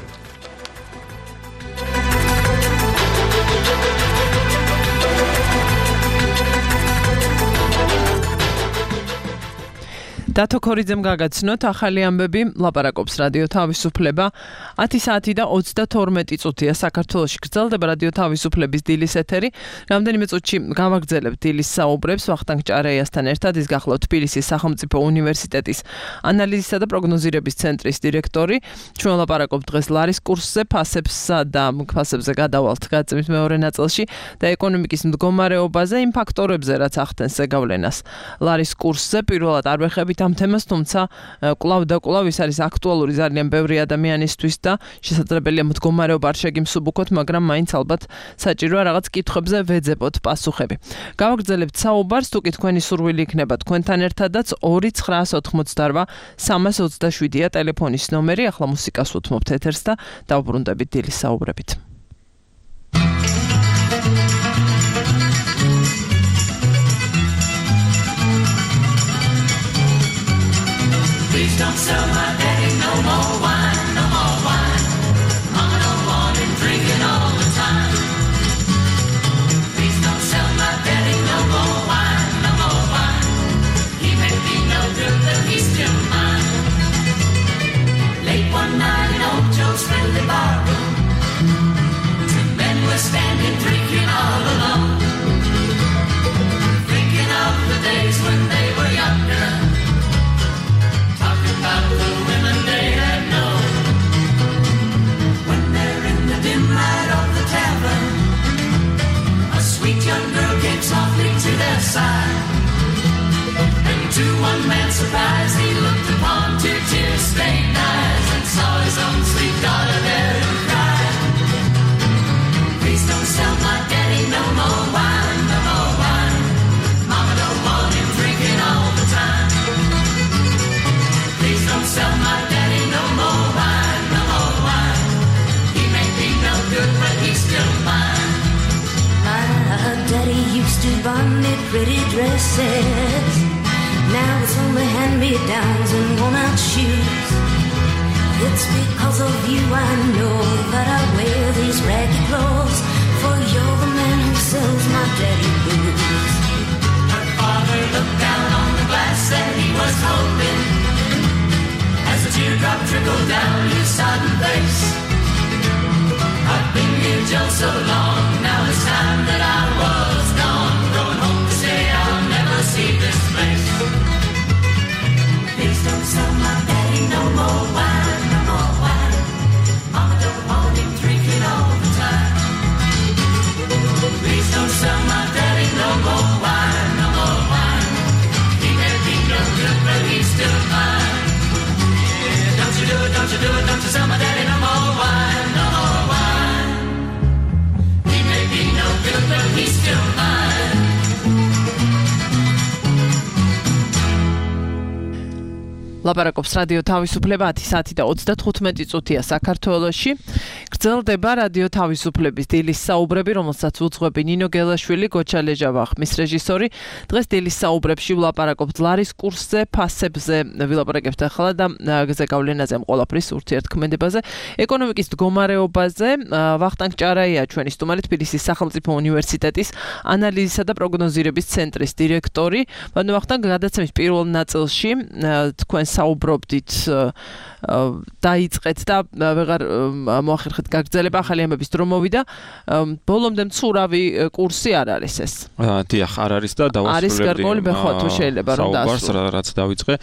დათო ქორიძემ გაგაცნოთ ახალი ამბები, ლაპარაკობს რადიო თავისუფლება. 10 საათი და 32 წუთია საქართველოში გრძელდება რადიო თავისუფლების დილის ეთერი. რამდენიმე წუთში გავაგრძელებთ დილის საუბრებს ვახტანგ ჭარაიასთან ერთად. ის გახლავთ თბილისის სახელმწიფო უნივერსიტეტის ანალიზისა და პროგნოზირების ცენტრის დირექტორი. ჩვენ ლაპარაკობთ დღეს ლარის კურსზე, ფასებსა და ფასებზე გადავალთ გადაცემის მეორე ნაწილში და ეკონომიკის მდგომარეობაზე, იმ ფაქტორებზე, რაც ახდენს ზეგავლენას ლარის კურსზე. პირველად არ ვეხებით ამ თემას, თუმცა კვლავ და კვლავ ის არის აქტუალური ძალიან ბევრი ადამიანისთვის და შესაძლებელია მდგომარეობა არ შეგიმსუბუქოთ, მაგრამ მაინც ალბათ საჭიროა რაღაც კითხვებზე ვეძებოთ პასუხები. გავაგრძელებთ საუბარს, თუ კი თქვენი სურვილი იქნება თქვენთან ერთადაც 2988 327-ია ტელეფონის ნომერი. ახლა მუსიკას უთმობთ ეთერს და დავბრუნდებით დილის საუბრებით. Please don't sell my daddy no more wine, no more wine. Mama don't want him drinking all the time. Please don't sell my daddy no more wine, no more wine. He may be no good, but he's still mine. Late one night in old Joe's friendly barroom, 2 men were standing drinking all alone, thinking of the days when they were younger. About the women they had known. When they're in the dim light of the tavern, a sweet young girl came softly to their side, and to one man's surprise he looked upon 2 tear-stained eyes and saw his own sweet daughter there and cried, please don't sell my daddy no more wine, no more wine. Mama don't want him drinking all the time. Please don't sell my daddy no more wine, no more wine. He may be no good, but he's still mine. My daddy used to buy me pretty dresses. Now it's only hand-me-downs and worn-out shoes. It's because of you I know that I wear these ragged clothes, for you're the man who sells my daddy blues. Her father looked down on the glass and he was hoping, as a teardrop trickled down his sodden face. I've been here just so long, now it's time that I was gone, going home to say I'll never see this place. Please don't sell my daddy no more wine, no more wine. Mama don't want him drinking all the time. Please don't sell my daddy no more wine, no more wine. He may be no good, but he's still mine. Yeah, don't you do it, don't you do it, don't you sell my daddy no more wine, no more wine. He may be no good, but he's still mine. ლაპარაკობს რადიო თავისუფლება 10 და 35 წუთია საქართველოში. გრძელდება რადიო თავისუფლების დილის საუბრები, რომელსაც უძღვები ნინო გელაშვილი, გოჩა ლეჟავა, ხმის რეჟისორი. დღეს დილის საუბრებში ვლაპარაკობთ ლარის კურსზე, ფასებზე, ვილაპარაკებთ ახლა და გზეგავლენაზე, ყველაფრის ურთიერთქმედებაზე, ეკონომიკის მდგომარეობაზე. ვახტანგ ჭარაია ჩვენი სტუმარი, თბილისის სახელმწიფო უნივერსიტეტის ანალიზისა და პროგნოზირების ცენტრის დირექტორი. ვახტანგ, გადაცემის პირველ ნაწილში თქვენ საუბრობდით დაიწყეთ და ვეღარ მოახერხეთ გაგრძელება, ახალი ამბების დრო მოვიდა. ბოლომდე მცურავი კურსი არ არის ეს. დიახ, არ არის და დავასრულებდი. არის გარკვეული ბეხვა თუ შეიძლება რომ დაასრულო. რაც დავიწყე.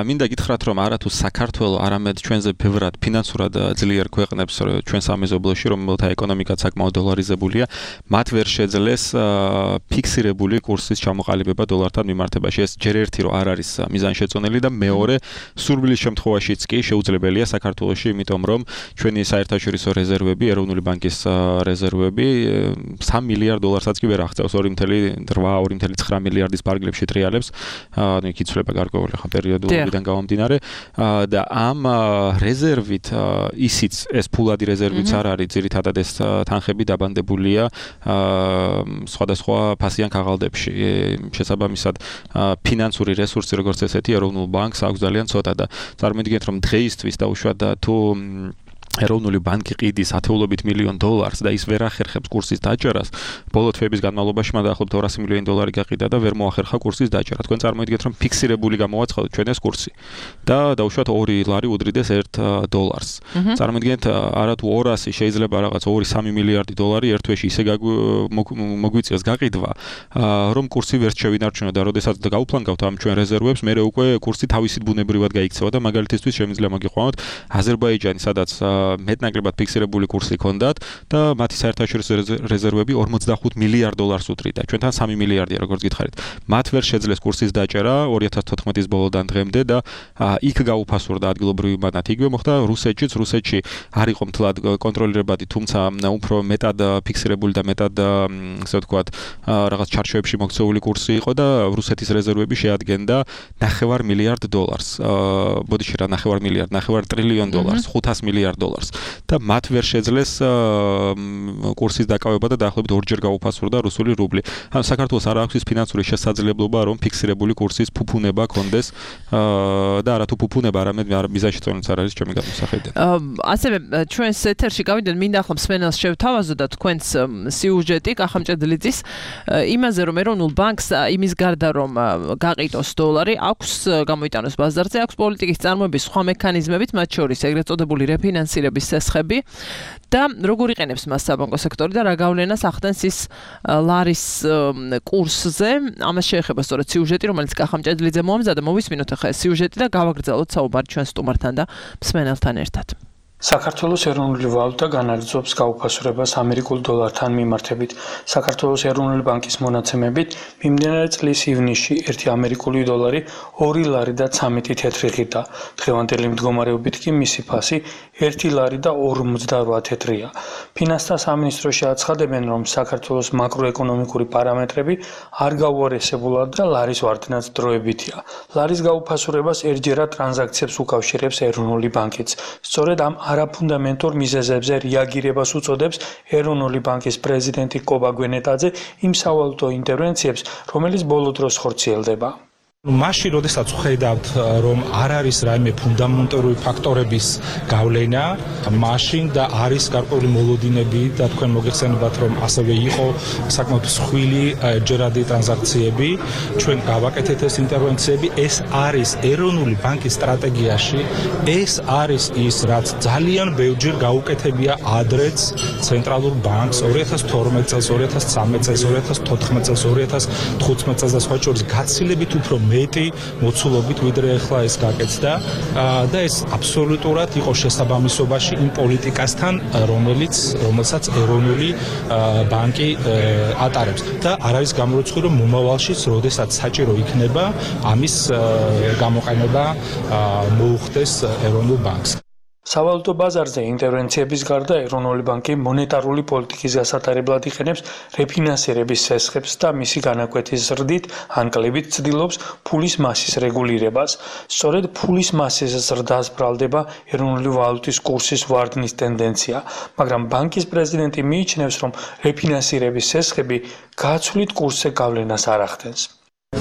მინდა გითხრათ რომ არა თუ საქართველოს, არამედ ჩვენზე ბევრად ფინანსურად ძლიერ ქვეყნებს ჩვენ სამეზობლოში, რომელთა ეკონომიკა საკმაოდ დოლარიზებულია, მათ ვერ შეძლეს ფიქსირებული კურსის ჩამოყალიბება დოლართან მიმართებაში. ეს ჯერ ერთი რომ არ არის მიზანშეწონილი და მეორე სურვილის შემთხვევაშიც კი შეუძლებელია საქართველოში, იმიტომ რომ ჩვენი საერთაშორისო რეზერვები, ეროვნული ბანკის რეზერვები 3 მილიარდ დოლარსაც კი ვერ აღწევს 2.8-2.9 მილიარდის ფარგლებში ტრიალებს, ანუ იქ იცვლება გარკვეული ხა პერიოდულობიდან გამომდინარე და ამ რეზერვით ისიც ეს ფულადი რეზერვიც არ არის, ძირითადად ეს თანხები დაბანდებულია სხვადასხვა ფასიან ქაღალდებში. შესაბამისად ფინანსური რესურსი როგორც ესეთი ეროვნულ ბანკს აქვს ძალიან ცოტა და წარმოიდგინეთ რომ დღეისთვის დაუშვათ თუ ეროვნული ბანკი ყიდის ათეულობით მილიონ დოლარს და ის ვერ ახერხებს კურსის დაჭერას, ბოლო თვეების განმავლობაში მან დაახლოებით 200 მილიონი დოლარი გაყიდა და ვერ მოახერხა კურსის დაჭერა. თქვენ წარმოიდგინეთ რომ ფიქსირებული გამოვაცხადოთ ჩვენ ეს კურსი და დაუშვათ 2 ლარი უდრიდეს 1 დოლარს. წარმოიდგინეთ არა თუ 200 შეიძლება რაღაც 2-3 მილიარდი დოლარი ერთ თვეში ისე მოგვიწევს გაყიდვა, რომ კურსი ვერ შევინარჩუნოთ და როდესაც გაუფლანგავთ ამ ჩვენ რეზერვებს, მე უკვე კურსი თავისით ბუნებრივად გაიქცევა და მაგალითისთვის შემიძლია მოგიყვანოთ აზერბაიჯანი, სადაც მეტნაკლებად ფიქსირებული კურსი ჰქონდათ და მათი საერთაშორისო რეზერვები 45 მილიარდ დოლარს უდრიდა. ჩვენთან 3 მილიარდია, როგორც გითხარით. მათ ვერ შეძლეს კურსის დაჭერა 2014 ბოლოდან დღემდე და იქ გაუფასურდა ადგილობრივი ბანკი. იგივე მოხდა რუსეთშიც. რუსეთში არ იყო მთლად კონტროლირებადი, თუმცა უფრო მეტად ფიქსირებული და მეტად ასე ვთქვათ, რაღაც ჩარჩოებში მოქცეული კურსი იყო და რუსეთის რეზერვები შეადგენდა 9 მილიარდ დოლარს. ბოდიში რა 9 მილიარდ, 9 ტრილიონ დოლარს, 500 მილიარდ დოლარს და მათ ვერ შეძლეს კურსის დაკავება და დაახლოებით ორჯერ გაუფასურდა რუსული რუბლი. ანუ საქართველოს არ აქვს ის ფინანსური შესაძლებლობა, რომ ფიქსირებული კურსის ფუფუნება ჰქონდეს და არა თუ ფუფუნება, არამედ მიზანშეწონილიც არ არის ჩემი გადმოსახედიდან. ასევე ჩვენს ეთერში გავიდეთ, მინდა ახლა მსმენელს შევთავაზო და თქვენს სიუჟეტი კახამჭედლიძის იმაზე, რომ ეროვნულ ბანკს იმის გარდა რომ გაყიდოს დოლარი, აქვს გამოიტანოს ბაზარზე, აქვს პოლიტიკის წარმოების სხვა მექანიზმებით, მათ შორის ეგრეთ წოდებული რეფინანსირების სესხები და როგორ იყენებს მას საბანკო სექტორი და რა გავლენას ახდენს ის ლარის კურსზე. ამას შეეხება სწორედ სიუჟეტი, რომელიც კახამჭედლიძე მოამზადა. მოვისმინოთ ახლა ეს სიუჟეტი და გავაგრძელოთ საუბარი ჩვენ სტუმართან და მსმენელთან ერთად. საქართველოს ეროვნული ვალუტა განაგრძობს გაუფასურებას ამერიკულ დოლართან მიმართებით. საქართველოს ეროვნული ბანკის მონაცემებით მიმდინარე წლის ივნისში 1 ამერიკული დოლარი 2 ლარი და 13 თეთრი ღირდა. დღევანდელი მდგომარეობით კი მისი ფასი 1 ლარი და 58 თეთრია. ფინანსთა სამინისტროში აცხადებენ, რომ საქართველოს მაკროეკონომიკური პარამეტრები არ გაუარესებულად და ლარის ვარდნაც დროებითია. ლარის გაუფასურებას ერთჯერად ტრანზაქციებს უკავშირებს ეროვნული ბანკიც. სწორედ ამ არაფუნდამენტურ მიზეზებზე რეაგირებას უწოდებს ეროვნული ბანკის პრეზიდენტი კობა გვენეტაძე იმ სავალუტო ინტერვენციებს, რომელიც ბოლო დროს ხორციელდება. მაშინ როდესაც ხედავთ რომ არ არის რაიმე ფუნდამენტური ფაქტორების გავლენა მაშინ და არის გარკვეული მოლოდინები და თქვენ მოგეხსენებათ რომ ასევე იყო საკმაოდ მსხვილი ჯერადი ტრანზაქციები ჩვენ გავაკეთეთ ეს ინტერვენციები ეს არის ეროვნული ბანკის სტრატეგიაში ეს არის ის რაც ძალიან ბევრჯერ გაუკეთებია ადრეც ცენტრალურ ბანკს 2012 წელს 2013 წელს 2014 წელს 2015 წელს და სხვა შორის გაცილებით უფრო მეტი მოცულობით ვიდრე ახლა ეს გაკეთდა და ეს აბსოლუტურად იყო შესაბამისობაში იმ პოლიტიკასთან რომელსაც ეროვნული ბანკი ატარებს და არ არის გამორიცხული რომ მომავალშიც როდესაც საჭირო იქნება ამის გამოყენება მოუხდეს ეროვნულ ბანკს სავალუტო ბაზარზე ინტერვენციების გარდა ეროვნული ბანკი მონეტარული პოლიტიკის გასატარებლად იყენებს რეფინანსირების სესხებს და მისი განაკვეთის ზრდით ან კლებით ცდილობს ფულის მასის რეგულირებას. სწორედ ფულის მასის ზრდას ბრალდება ეროვნული ვალუტის კურსის ვარდნის ტენდენცია, მაგრამ ბანკის პრეზიდენტი მიიჩნევს, რომ რეფინანსირების სესხები გაცვლით კურსზე გავლენას არ ახდენს.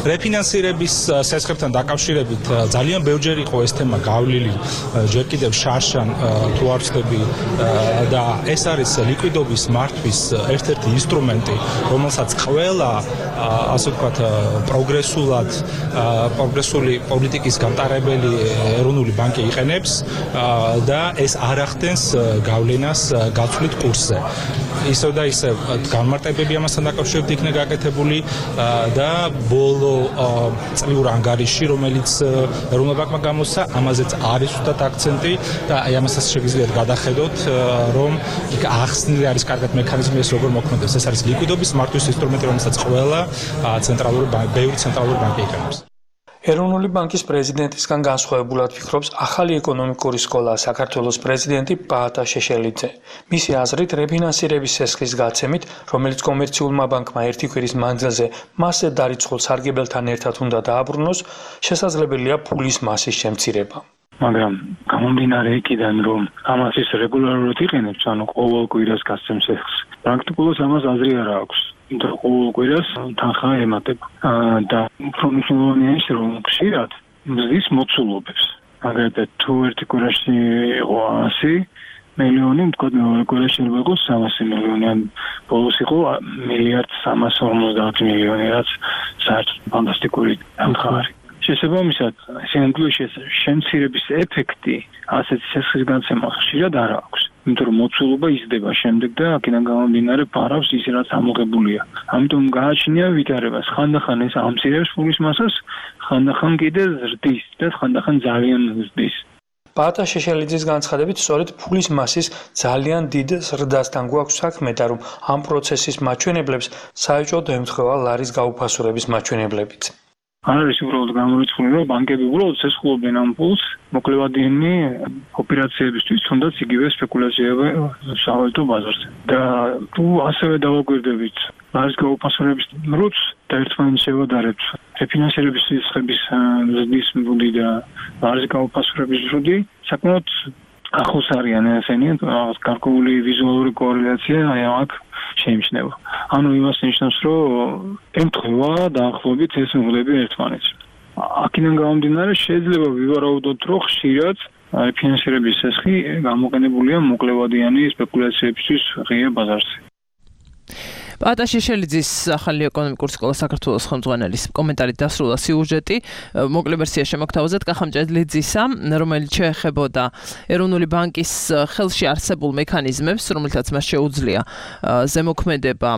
რეფინანსირების სესხებთან დაკავშირებით ძალიან ბევრჯერ იყო ეს თემა გავლილი ჯერ კიდევ შარშან თუ არ ვცდები და ეს არის ლიკვიდობის მართვის ერთ-ერთი ინსტრუმენტი რომელსაც ყველა ასე ვთქვათ პროგრესული პოლიტიკის გამტარებელი ეროვნული ბანკი იყენებს და ეს არ ახდენს გავლენას გაცვლით კურსზე ისევ და ისევ განმარტებები ამასთან დაკავშირებით იქნა გაკეთებული და ბოლო წლიურ ანგარიში რომელიც ეროვნულ ბანკმა გამოსცა ამაზეც არის უდად აქცენტი და აი ამასაც შეგიძლიათ გადახედოთ რომ იქ ახსნილი არის კარგად მექანიზმი ეს როგორ მოქმედებს ეს არის ლიკვიდობის მართვის ინსტრუმენტი რომელსაც ყველა ბევრი ცენტრალური ბანკი იყენებს ეროვნული ბანკის პრეზიდენტისგან განსხვავებულად ფიქრობს ახალი ეკონომიკური სკოლა საქართველოს პრეზიდენტი პაატა შეშელიძე. მისი აზრით რეფინანსირების სესხის გაცემით, რომელიც კომერციულმა ბანკმა ერთი კვირის მანძილზე მასზე დარიცხულ სარგებელთან ერთად უნდა დააბრუნოს, შესაძლებელია ფულის მასის შემცირება. მაგრამ გამომდინარე იქიდან რომ ამას ის რეგულარულად იყენებს, ანუ ყოველ კვირას გასცემს სესხს, პრაქტიკულად ამას აზრი არ აქვს. და ყოველ კვირას თანხა ემატება და უფრო მნიშვნელოვანია ის რომ ხშირად მზის მოცულობებს აგრეთვე თუ ერთი კვირაში იყო 100 მილიონი თქვა მეორე კვირაში იყო 300 მილიონი ან ბოლოს იყო 1.350 მილიონი რაც საერთოდ ფანტასტიკური თანხა არის შესაბამისად სინამდვილეში შემცირების ეფექტი ასეთ სესხის განცემა ხშირად არ აქვს იმიტომ რომ მოცულობა იზრდება შემდეგ და აქედან გამომდინარე ფარავს ის რაც ამოღებულია. ამიტომ გააჩნია ვითარებას. ხანდახან ეს ამცირებს ფულის მასას, ხანდახან კიდე ზრდის და ხანდახან ძალიან ზრდის. პაატა შეშელიძის განცხადებით, სწორედ ფულის მასის ძალიან დიდ ზრდასთან გვაქვს საქმე და რომ ამ პროცესის მაჩვენებლებს საერთოდ ემთხვევა ლარის გაუფასურების მაჩვენებლებიც. არ არის უბრალოდ გამორიცხული რომ ბანკები უბრალოდ ცეცხლობენ ამ ფულს მოკლევადიანი ოპერაციებისთვის თუნდაც იგივე სპეკულაციები სავალუტო ბაზარზე და თუ ასევე დავაკვირდებით ლარის გაუფასურების რუც და ერთმანეთს შევადარებთ რეფინანსირების სესხების ზრდის მრუდი და ლარის გაუფასურების მრუდი საკმაოდ ახლოს არიან ესენი გარკვეული ვიზუალური კორელაცია აი აქ შეიმჩნევა. ანუ იმას ნიშნავს, რომ ემთხვევა დაახლოებით ეს მრუდები ერთმანეთს. აქედან გამომდინარე შეიძლება ვივარაუდოთ, რომ ხშირად ფინანსირების სესხი გამოყენებულია მოკლევადიანი სპეკულაციებისთვის ღია ბაზარზე. პაატა შეშელიძის ახალი ეკონომიკური სკოლა საქართველოს ხელმძღვანელის კომენტარით დასრულდა სიუჟეტი მოკლე ვერსია შემოგთავაზეთ კახამჭედლიძისა რომელიც შეეხებოდა ეროვნული ბანკის ხელში არსებულ მექანიზმებს რომელთაც მას შეუძლია ზემოქმედება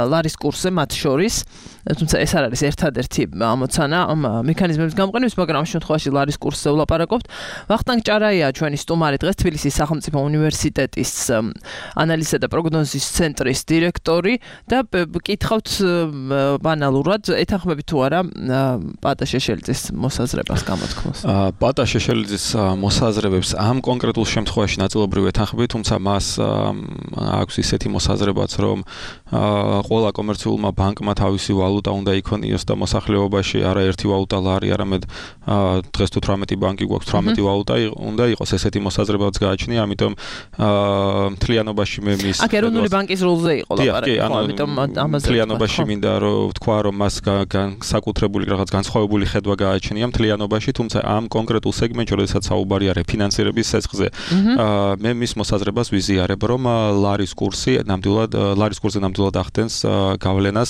ლარის კურსზე მათ შორის თუმცა ეს არ არის ერთადერთი ამოცანა ამ მექანიზმების გამოყენების მაგრამ ამ შემთხვევაში ლარის კურსზე ვლაპარაკობთ ვახტანგ ჭარაია ჩვენი სტუმარი დღეს თბილისის სახელმწიფო უნივერსიტეტის ანალიზისა და პროგნოზის ცენტრის დირექტორი და გითხავთ ბანალურად ეთანხმებით თუ არა პაატა შეშელიძის მოსაზრებას გამოთქმას. პაატა შეშელიძის მოსაზრებებს ამ კონკრეტულ შემთხვევაში ნაწილობრივ ეთანხმებით, თუმცა მას აქვს ისეთი მოსაზრებაც, რომ ყველა კომერციულმა ბანკმა თავისი ვალუტა უნდა იქონიოს და მოსახლეობაში არა ერთი ვალუტა ლარი, არამედ დღეს თუ 18 ბანკი გვაქვს 18 ვალუტა უნდა იყოს ესეთი მოსაზრებაც გააჩნია, ამიტომ მთლიანობაში მე მის აქ ეროვნული ბანკის როლზე იყო ლაპარაკი. ამიტომ ამაზე მთლიანობაში მინდა რომ ვთქვა რომ მას საკუთრებული რაღაც განსხვავებული ხედვა გააჩნია მთლიანობაში, თუმცა ამ კონკრეტულ სეგმენტში, როდესაც საუბარია რეფინანსირების სესხზე, მე მის მოსაზრებას ვიზიარებ, რომ ლარის კურსზე ნამდვილად ახდენს გავლენას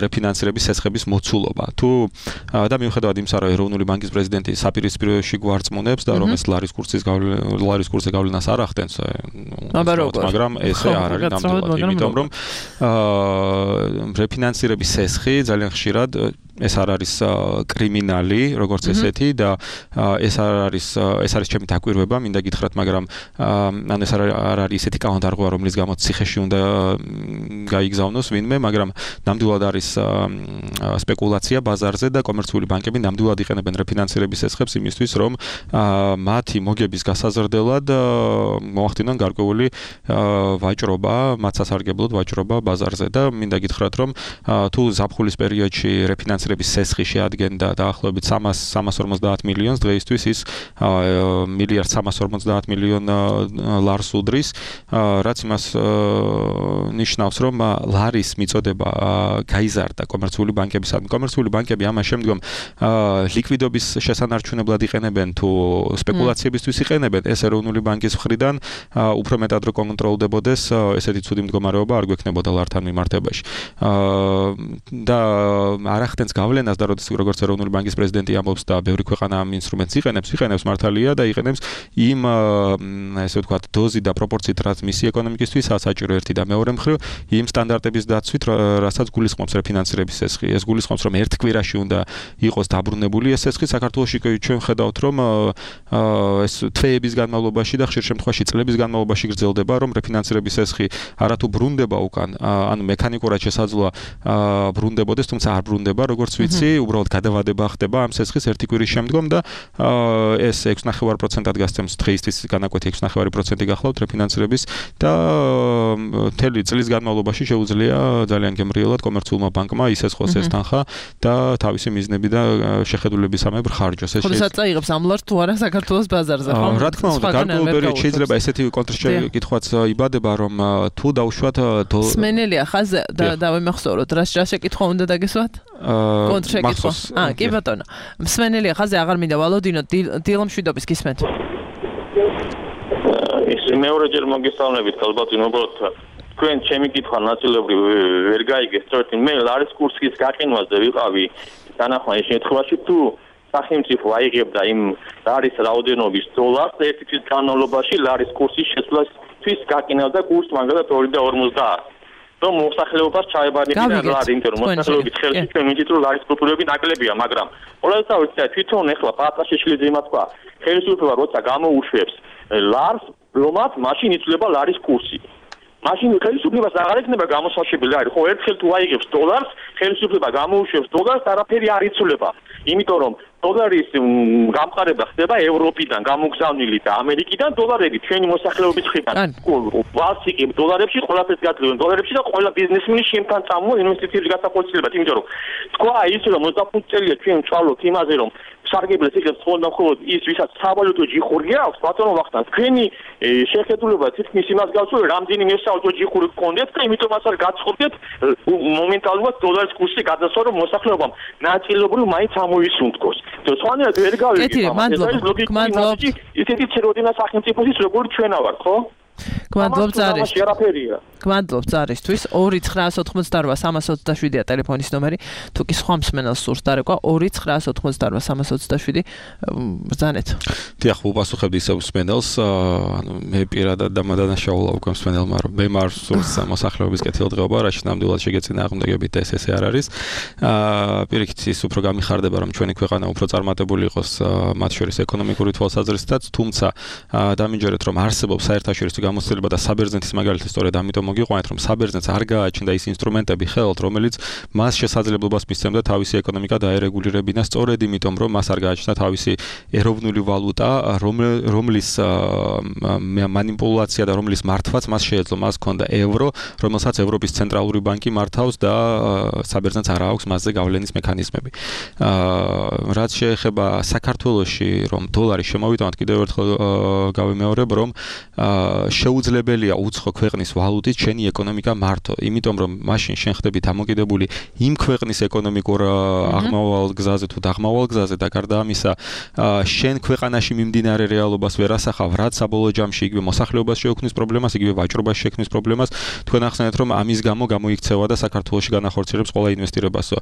რეფინანსირების სესხების მოცულობა. თუ და მიუხედავად იმისა, რომ ეროვნული ბანკის პრეზიდენტი საპირისპიროში გვარწმუნებს და რომ ეს ლარის კურსზე გავლენას არ ახდენს, მაგრამ ესე არ არის ნამდვილად, იმიტომ რომ რეფინანსირების სესხი ძალიან ხშირად ეს არ არის კრიმინალი, როგორც ესეთი და ეს არის ჩემი დაკვირვება, მინდა გითხრათ, მაგრამ ეს არ არის ესეთი კანონდარღვა, რომლის გამოც ციხეში უნდა გაიგზავნოს ვინმე, მაგრამ ნამდვილად არის სპეკულაცია ბაზარზე და კომერციული ბანკები ნამდვილად იყენებენ რეფინანსირების სესხებს იმისთვის, რომ მათი მოგების გასაზრდელად მოახდინონ გარკვეული ვაჭრობა, მათ სასარგებლოდ ვაჭრობა ბაზარზე და მინდა გითხრათ, რომ თუ ზაფხულის პერიოდში რეფინანსირების სესხი შეადგენდა დაახლოებით 350 მილიონს, დღეისთვის ის 1.350 მილიონ ლარს უდრის, რაც იმას ნიშნავს, რომ ლარის მიწოდება გაიზარდა კომერციული ბანკებისადმი. კომერციული ბანკები ამას შემდგომ ლიკვიდობის შესანარჩუნებლად იყენებენ თუ სპეკულაციებისთვის იყენებენ, ეს ეროვნული ბანკის მხრიდან უფრო მეტად რო კონტროლდებოდეს, ესეთი ცუდი მდგომარეობა არ გვექნებოდა ლართან მიმართებაში. და არ ახდენს გავლენას და როგორც ეროვნული ბანკის პრეზიდენტი ამბობს და ბევრი ქვეყანა ამ ინსტრუმენტს იყენებს მართალია და იყენებს იმ ესე ვთქვათ დოზი და პროპორციით, რაც მისი ეკონომიკისთვის საჭირო ერთი და მეორე მხრივ იმ სტანდარტების დაცვით, რასაც გულისხმობს რეფინანსირების სესხი. ეს გულისხმობს, რომ ერთ კვირაში უნდა იყოს დაბრუნებული ეს სესხი. საქართველოში ჩვენ ხედავთ, რომ ეს თვეების განმავლობაში და ხშირ შემთხვევაში წლების განმავლობაში გრძელდება, რომ რეფინანსირების სესხი არათუ ბრუნდება უკან, ანუ მექანიკურად შესაძლოა ბრუნდებოდეს, თუმცა არ ბრუნდება, როგორც ვიცი, უბრალოდ გადავადება ხდება ამ სესხის ერთი კვირის შემდგომ და ეს 6.5%-ად გასცემს დღეისთვის განაკვეთი 6.5% გახლავთ რეფინანსირების და მთელი წლის განმავლობაში შეუძლია ძალიან გემრიელად კომერციულმა ბანკმა ისესხოს ეს თანხა და თავისი მიზნები და შეხედულებისამებრ ხარჯოს. ეს შესაძლოა წაიღებს ამ ლარს თუ არა საქართველოს ბაზარზე, ხო? რა თქმა უნდა, გარკვეულ პერიოდში შეიძლება ესეთი კონტრაქტი კითხვაც იბადება, რომ თუ დავუშვათ სმენელია ხაზზე და დავიმახსოვროთ, რა შეკითხვა უნდა დაგესვათ? კონტრაქტი. კი ბატონო. სმენელია ხაზზე, აღარ მინდა ვალოდინო, დილამშვიდობის გისმენთ. ეს მეორეჯერ მოგესალმებით, ალბათ უბრალოდ თქვენ ჩემი კითხვა ნაწილობრივ ვერ გაიგეთ, სწორედ მე ლარის კურსის გაყინვაზე ვიყავი დანახმარის შემთხვევაში, თუ სახელმწიფო აიღებდა იმ ლარის რაოდენობის დოლარს ერთი თვის განმავლობაში ლარის კურსის შესვლისთვის გაყინავდა კურსს მაგალითად 2.50. რომ მოსახლეობას ჩაებარებინა ლარი, იმიტომ რომ მოსახლეობის ხელში ჩვენ ვიცით, რომ ლარის კულტურები ნაკლებია, მაგრამ ყოველთვის თვითონ ეხლა პატარა შეშლიძე იმას თქვა, ხელისუფლება როცა გამოუშვებს ლარს, რომაც მაშინ იცვლება ლარის კურსი. მაშინ ხელისუფლებას აღარ ექნება გამოსაშვებელი ლარი, ხო ერთხელ თუ აიღებს დოლარს, ხელისუფლება გამოუშვებს დოლარს, არაფერი არ იცვლება. იმიტომ რომ დოლარის გამყარება ხდება ევროპიდან გამოგზავნილი და ამერიკიდან დოლარები ჩვენი მოსახლეობის მხრიდან. ვასიკებ დოლარებში, ყველაფერს გაძლევენ დოლარებში და ყველა ბიზნესმენი შემთან წამოვა ინვესტიციების გასახორციელებად, იმიტომ რომ თქვა ის რომ 25 წელია ჩვენ ვწავლობთ იმაზე, რომ სარგებლეს იღებს მხოლოდ ის, ვისაც სავალუტო ჯიხური აქვს, ბატონო ვახტანგ, თქვენი შეხედულება თითქმის იმას გავს, რომ რამდენიმე სავალუტო ჯიხური გქონდეთ და იმიტომაც არ გაცხობდეთ მომენტალურად დოლარის კურსი გადასვა, რომ მოსახლეობამ ნაწილობრივ მაინც ამოისუნთქოს. სხვანაირად ვერ გავიგებ. მადლობთ. ისეთი ცეროდინა სახელმწიფოსის როგორ ჩვენა ვარ, ხო? გმადლობთ ზარისთვის 2-988-327-ია ტელეფონის ნომერი. თუ კი სხვა მსმენელს სურს დარეკვა 2-988-327 ბრძანეთ. დიახ, უპასუხებდი ისევ მსმენელს, ანუ მე პირადად დამადანაშაულა უკვე მსმენელმა, რომ მე მარ სურს მოსახლეობის კეთილდღეობა, რაც ნამდვილად შეგეწინა აღმდეგებით და ეს არ არის. პირიქით ის უფრო გამიხარდება, რომ ჩვენი ქვეყანა უფრო წარმატებული იყოს მათ შორის ეკონომიკური თვალსაზრისითაც, თუმცა დამინჯერეთ, რომ არსებობს საერთაშორისო გამოცდილება და საბერძნეთის მაგალითი სწორედ ამიტომ მოგიყვანეთ, რომ საბერძნეთს არ გააჩნდა ის ინსტრუმენტები ხელთ, რომელიც მას შესაძლებლობას მისცემდა თავისი ეკონომიკა დაერეგულირებინა, სწორედ იმიტომ, რომ მას არ გააჩნდა თავისი ეროვნული ვალუტა, რომლის მანიპულაცია და რომლის მართვაც მას შეეძლო, მას ჰქონდა ევრო, რომელსაც ევროპის ცენტრალური ბანკი მართავს და საბერძნეთს არ აქვს მასზე გავლენის მექანიზმები. რაც შეეხება საქართველოში, რომ დოლარი შემოვიტანოთ, კიდევ ერთხელ გავიმეორებ, რომ შეუძლებელია უცხო ქვეყნის ვალუტით შენი ეკონომიკა მართო, იმიტომ რომ მაშინ შენ ხდები დამოკიდებული იმ ქვეყნის ეკონომიკურ აღმავალ გზაზე თუ დაღმავალ გზაზე და გარდა ამისა შენ ქვეყანაში მიმდინარე რეალობას ვერ ასახავ, რაც საბოლოო ჯამში იგივე მოსახლეობას შეექმნის პრობლემას, იგივე ვაჭრობას შეექმნის პრობლემას. თქვენ ახსენეთ რომ ამის გამო გამოიქცევა და საქართველოში განახორციელებს ყველა ინვესტირებასო.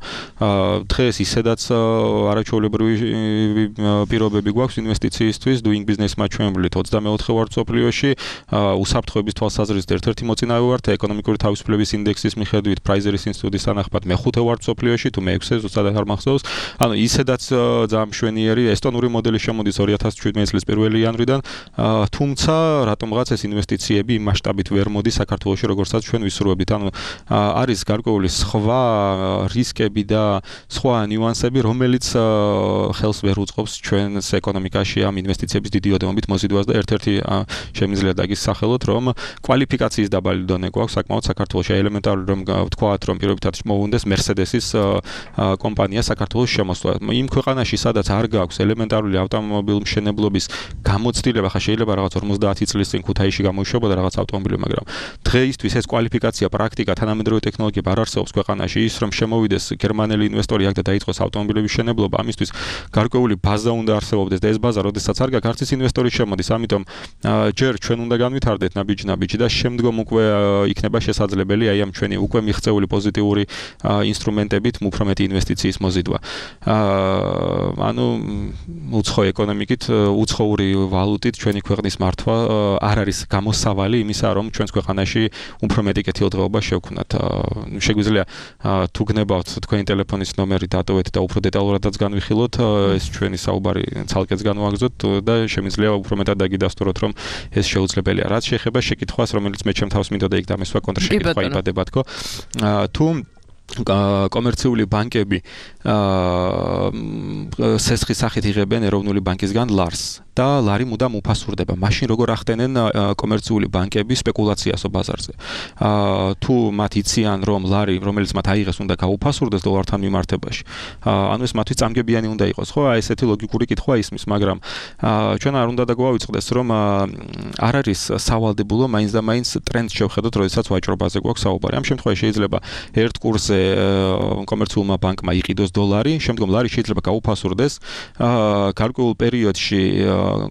დღეს ისედაც არაჩვეულებრივი პირობები გვაქვს ინვესტიციისთვის, doing business მაჩვენებლით 24 ვართ სოფლიოში, უსაფრთხოების თვალსაზრისით ერთ-ერთი მოწინავე ვართ, ეკონომიკური თავისუფლების ინდექსის მიხედვით პრაიზერის ინსტიტუტის თანახმად მე-5 ვართ სოფლიოში, თუ მე-6-ე ზუსტად არ მახსოვს. ანუ ისედაც ძალიან მშვენიერი ესტონური მოდელი შემოდის 2017 წლის 1 იანვრიდან, თუმცა რატომღაც ეს ინვესტიციები იმ მასშტაბით ვერ მოდის საქართველოში, როგორცაც ჩვენ ვისურვებთ. ანუ არის გარკვეული სხვა რისკები და სხვა ნიუანსები, რომელიც ხელს ვერ უწყობს ჩვენს ეკონომიკაში ამ ინვესტიციების დიდი ოდენობით მოზიდვას და ერთ-ერთი შემიძლია დაგისახელოთ, რომ კვალიფიკაციის დაბალი დონე გვაქვს საკმაოდ საქართველოში. ელემენტარული რომ ვთქვათ, რომ პირობითად მოუნდეს Mercedes-ის კომპანია საქართველოს შემოსვლა. იმ ქვეყანაში, სადაც არ გაქვს ელემენტარული ავტომობილმშენებლობის გამოცდილება, ხა შეიძლება რაღაც 50 წლის წინ ქუთაისში გამოიშვებოდა რაღაც ავტომობილი, მაგრამ დღეისთვის ეს კვალიფიკაცია, პრაქტიკა, თანამედროვე ტექნოლოგია არ არსებობს ქვეყანაში. ის რომ შემოვიდეს გერმანელი ინვესტორი აქ და დაიწყოს ავტომობილების მშენებლობა, ამისთვის გარკვეული ბაზა უნდა არსებობდეს და ეს ბაზა, როდესაც არ გაქვს, არც ის ინვესტორი შემოდის. ამიტომ ჯერ ჩვენ უნდა განვითარდეთ ნაბიჯ და შემდგომ უკვე იქნება შესაძლებელი აი ამ ჩვენი უკვე მიღწეული პოზიტიური ინსტრუმენტებით უფრო მეტი ინვესტიციის მოზიდვა. ანუ უცხო ეკონომიკით, უცხოური ვალუტით ჩვენი ქვეყნის მართვა არ არის გამოსავალი იმისა, რომ ჩვენს ქვეყანაში უფრო მეტი კეთილდღეობა შევქმნათ. შეგვიძლია თუ გნებავთ თქვენი ტელეფონის ნომერი დატოვეთ და უფრო დეტალურადაც განვიხილოთ, ეს ჩვენი საუბარი ცალკეც განვაგრძოთ და შემიძლია უფრო მეტად დაგიდასტუროთ, რომ ეს შეუძლებელია. რაც შეეხება შეკითხვას, რომელიც მე ჩემ თავს მინდოდა იქ დამესვა კონტრშეკითხვა იბადება თქო. თუ კომერციული ბანკები სესხის სახით იღებენ ეროვნული ბანკისგან ლარს და ლარი მუდამ უფასურდება. მაშინ როგორ ახდენენ კომერციული ბანკები სპეკულაციასო ბაზარზე. თუ მათ იციან, რომ ლარი, რომელიც მათ აიღეს, უნდა გაუფასურდეს დოლართან მიმართებაში. ანუ ეს მათთვის წამგებიანი უნდა იყოს, ხო? აი ესეთი ლოგიკური კითხვა ისმის, მაგრამ ჩვენ არ უნდა დაგვავიწყდეს, რომ არ არის სავალდებულო მაინც და მაინც ტრენდს შევხედოთ, როდესაც ვაჭრობაზე გვაქვს საუბარი. ამ შემთხვევაში შეიძლება ერთ კურსზე კომერციულმა ბანკმა იყიდოს დოლარი, შემდგომ ლარი შეიძლება გაუფასურდეს. გარკვეულ პერიოდში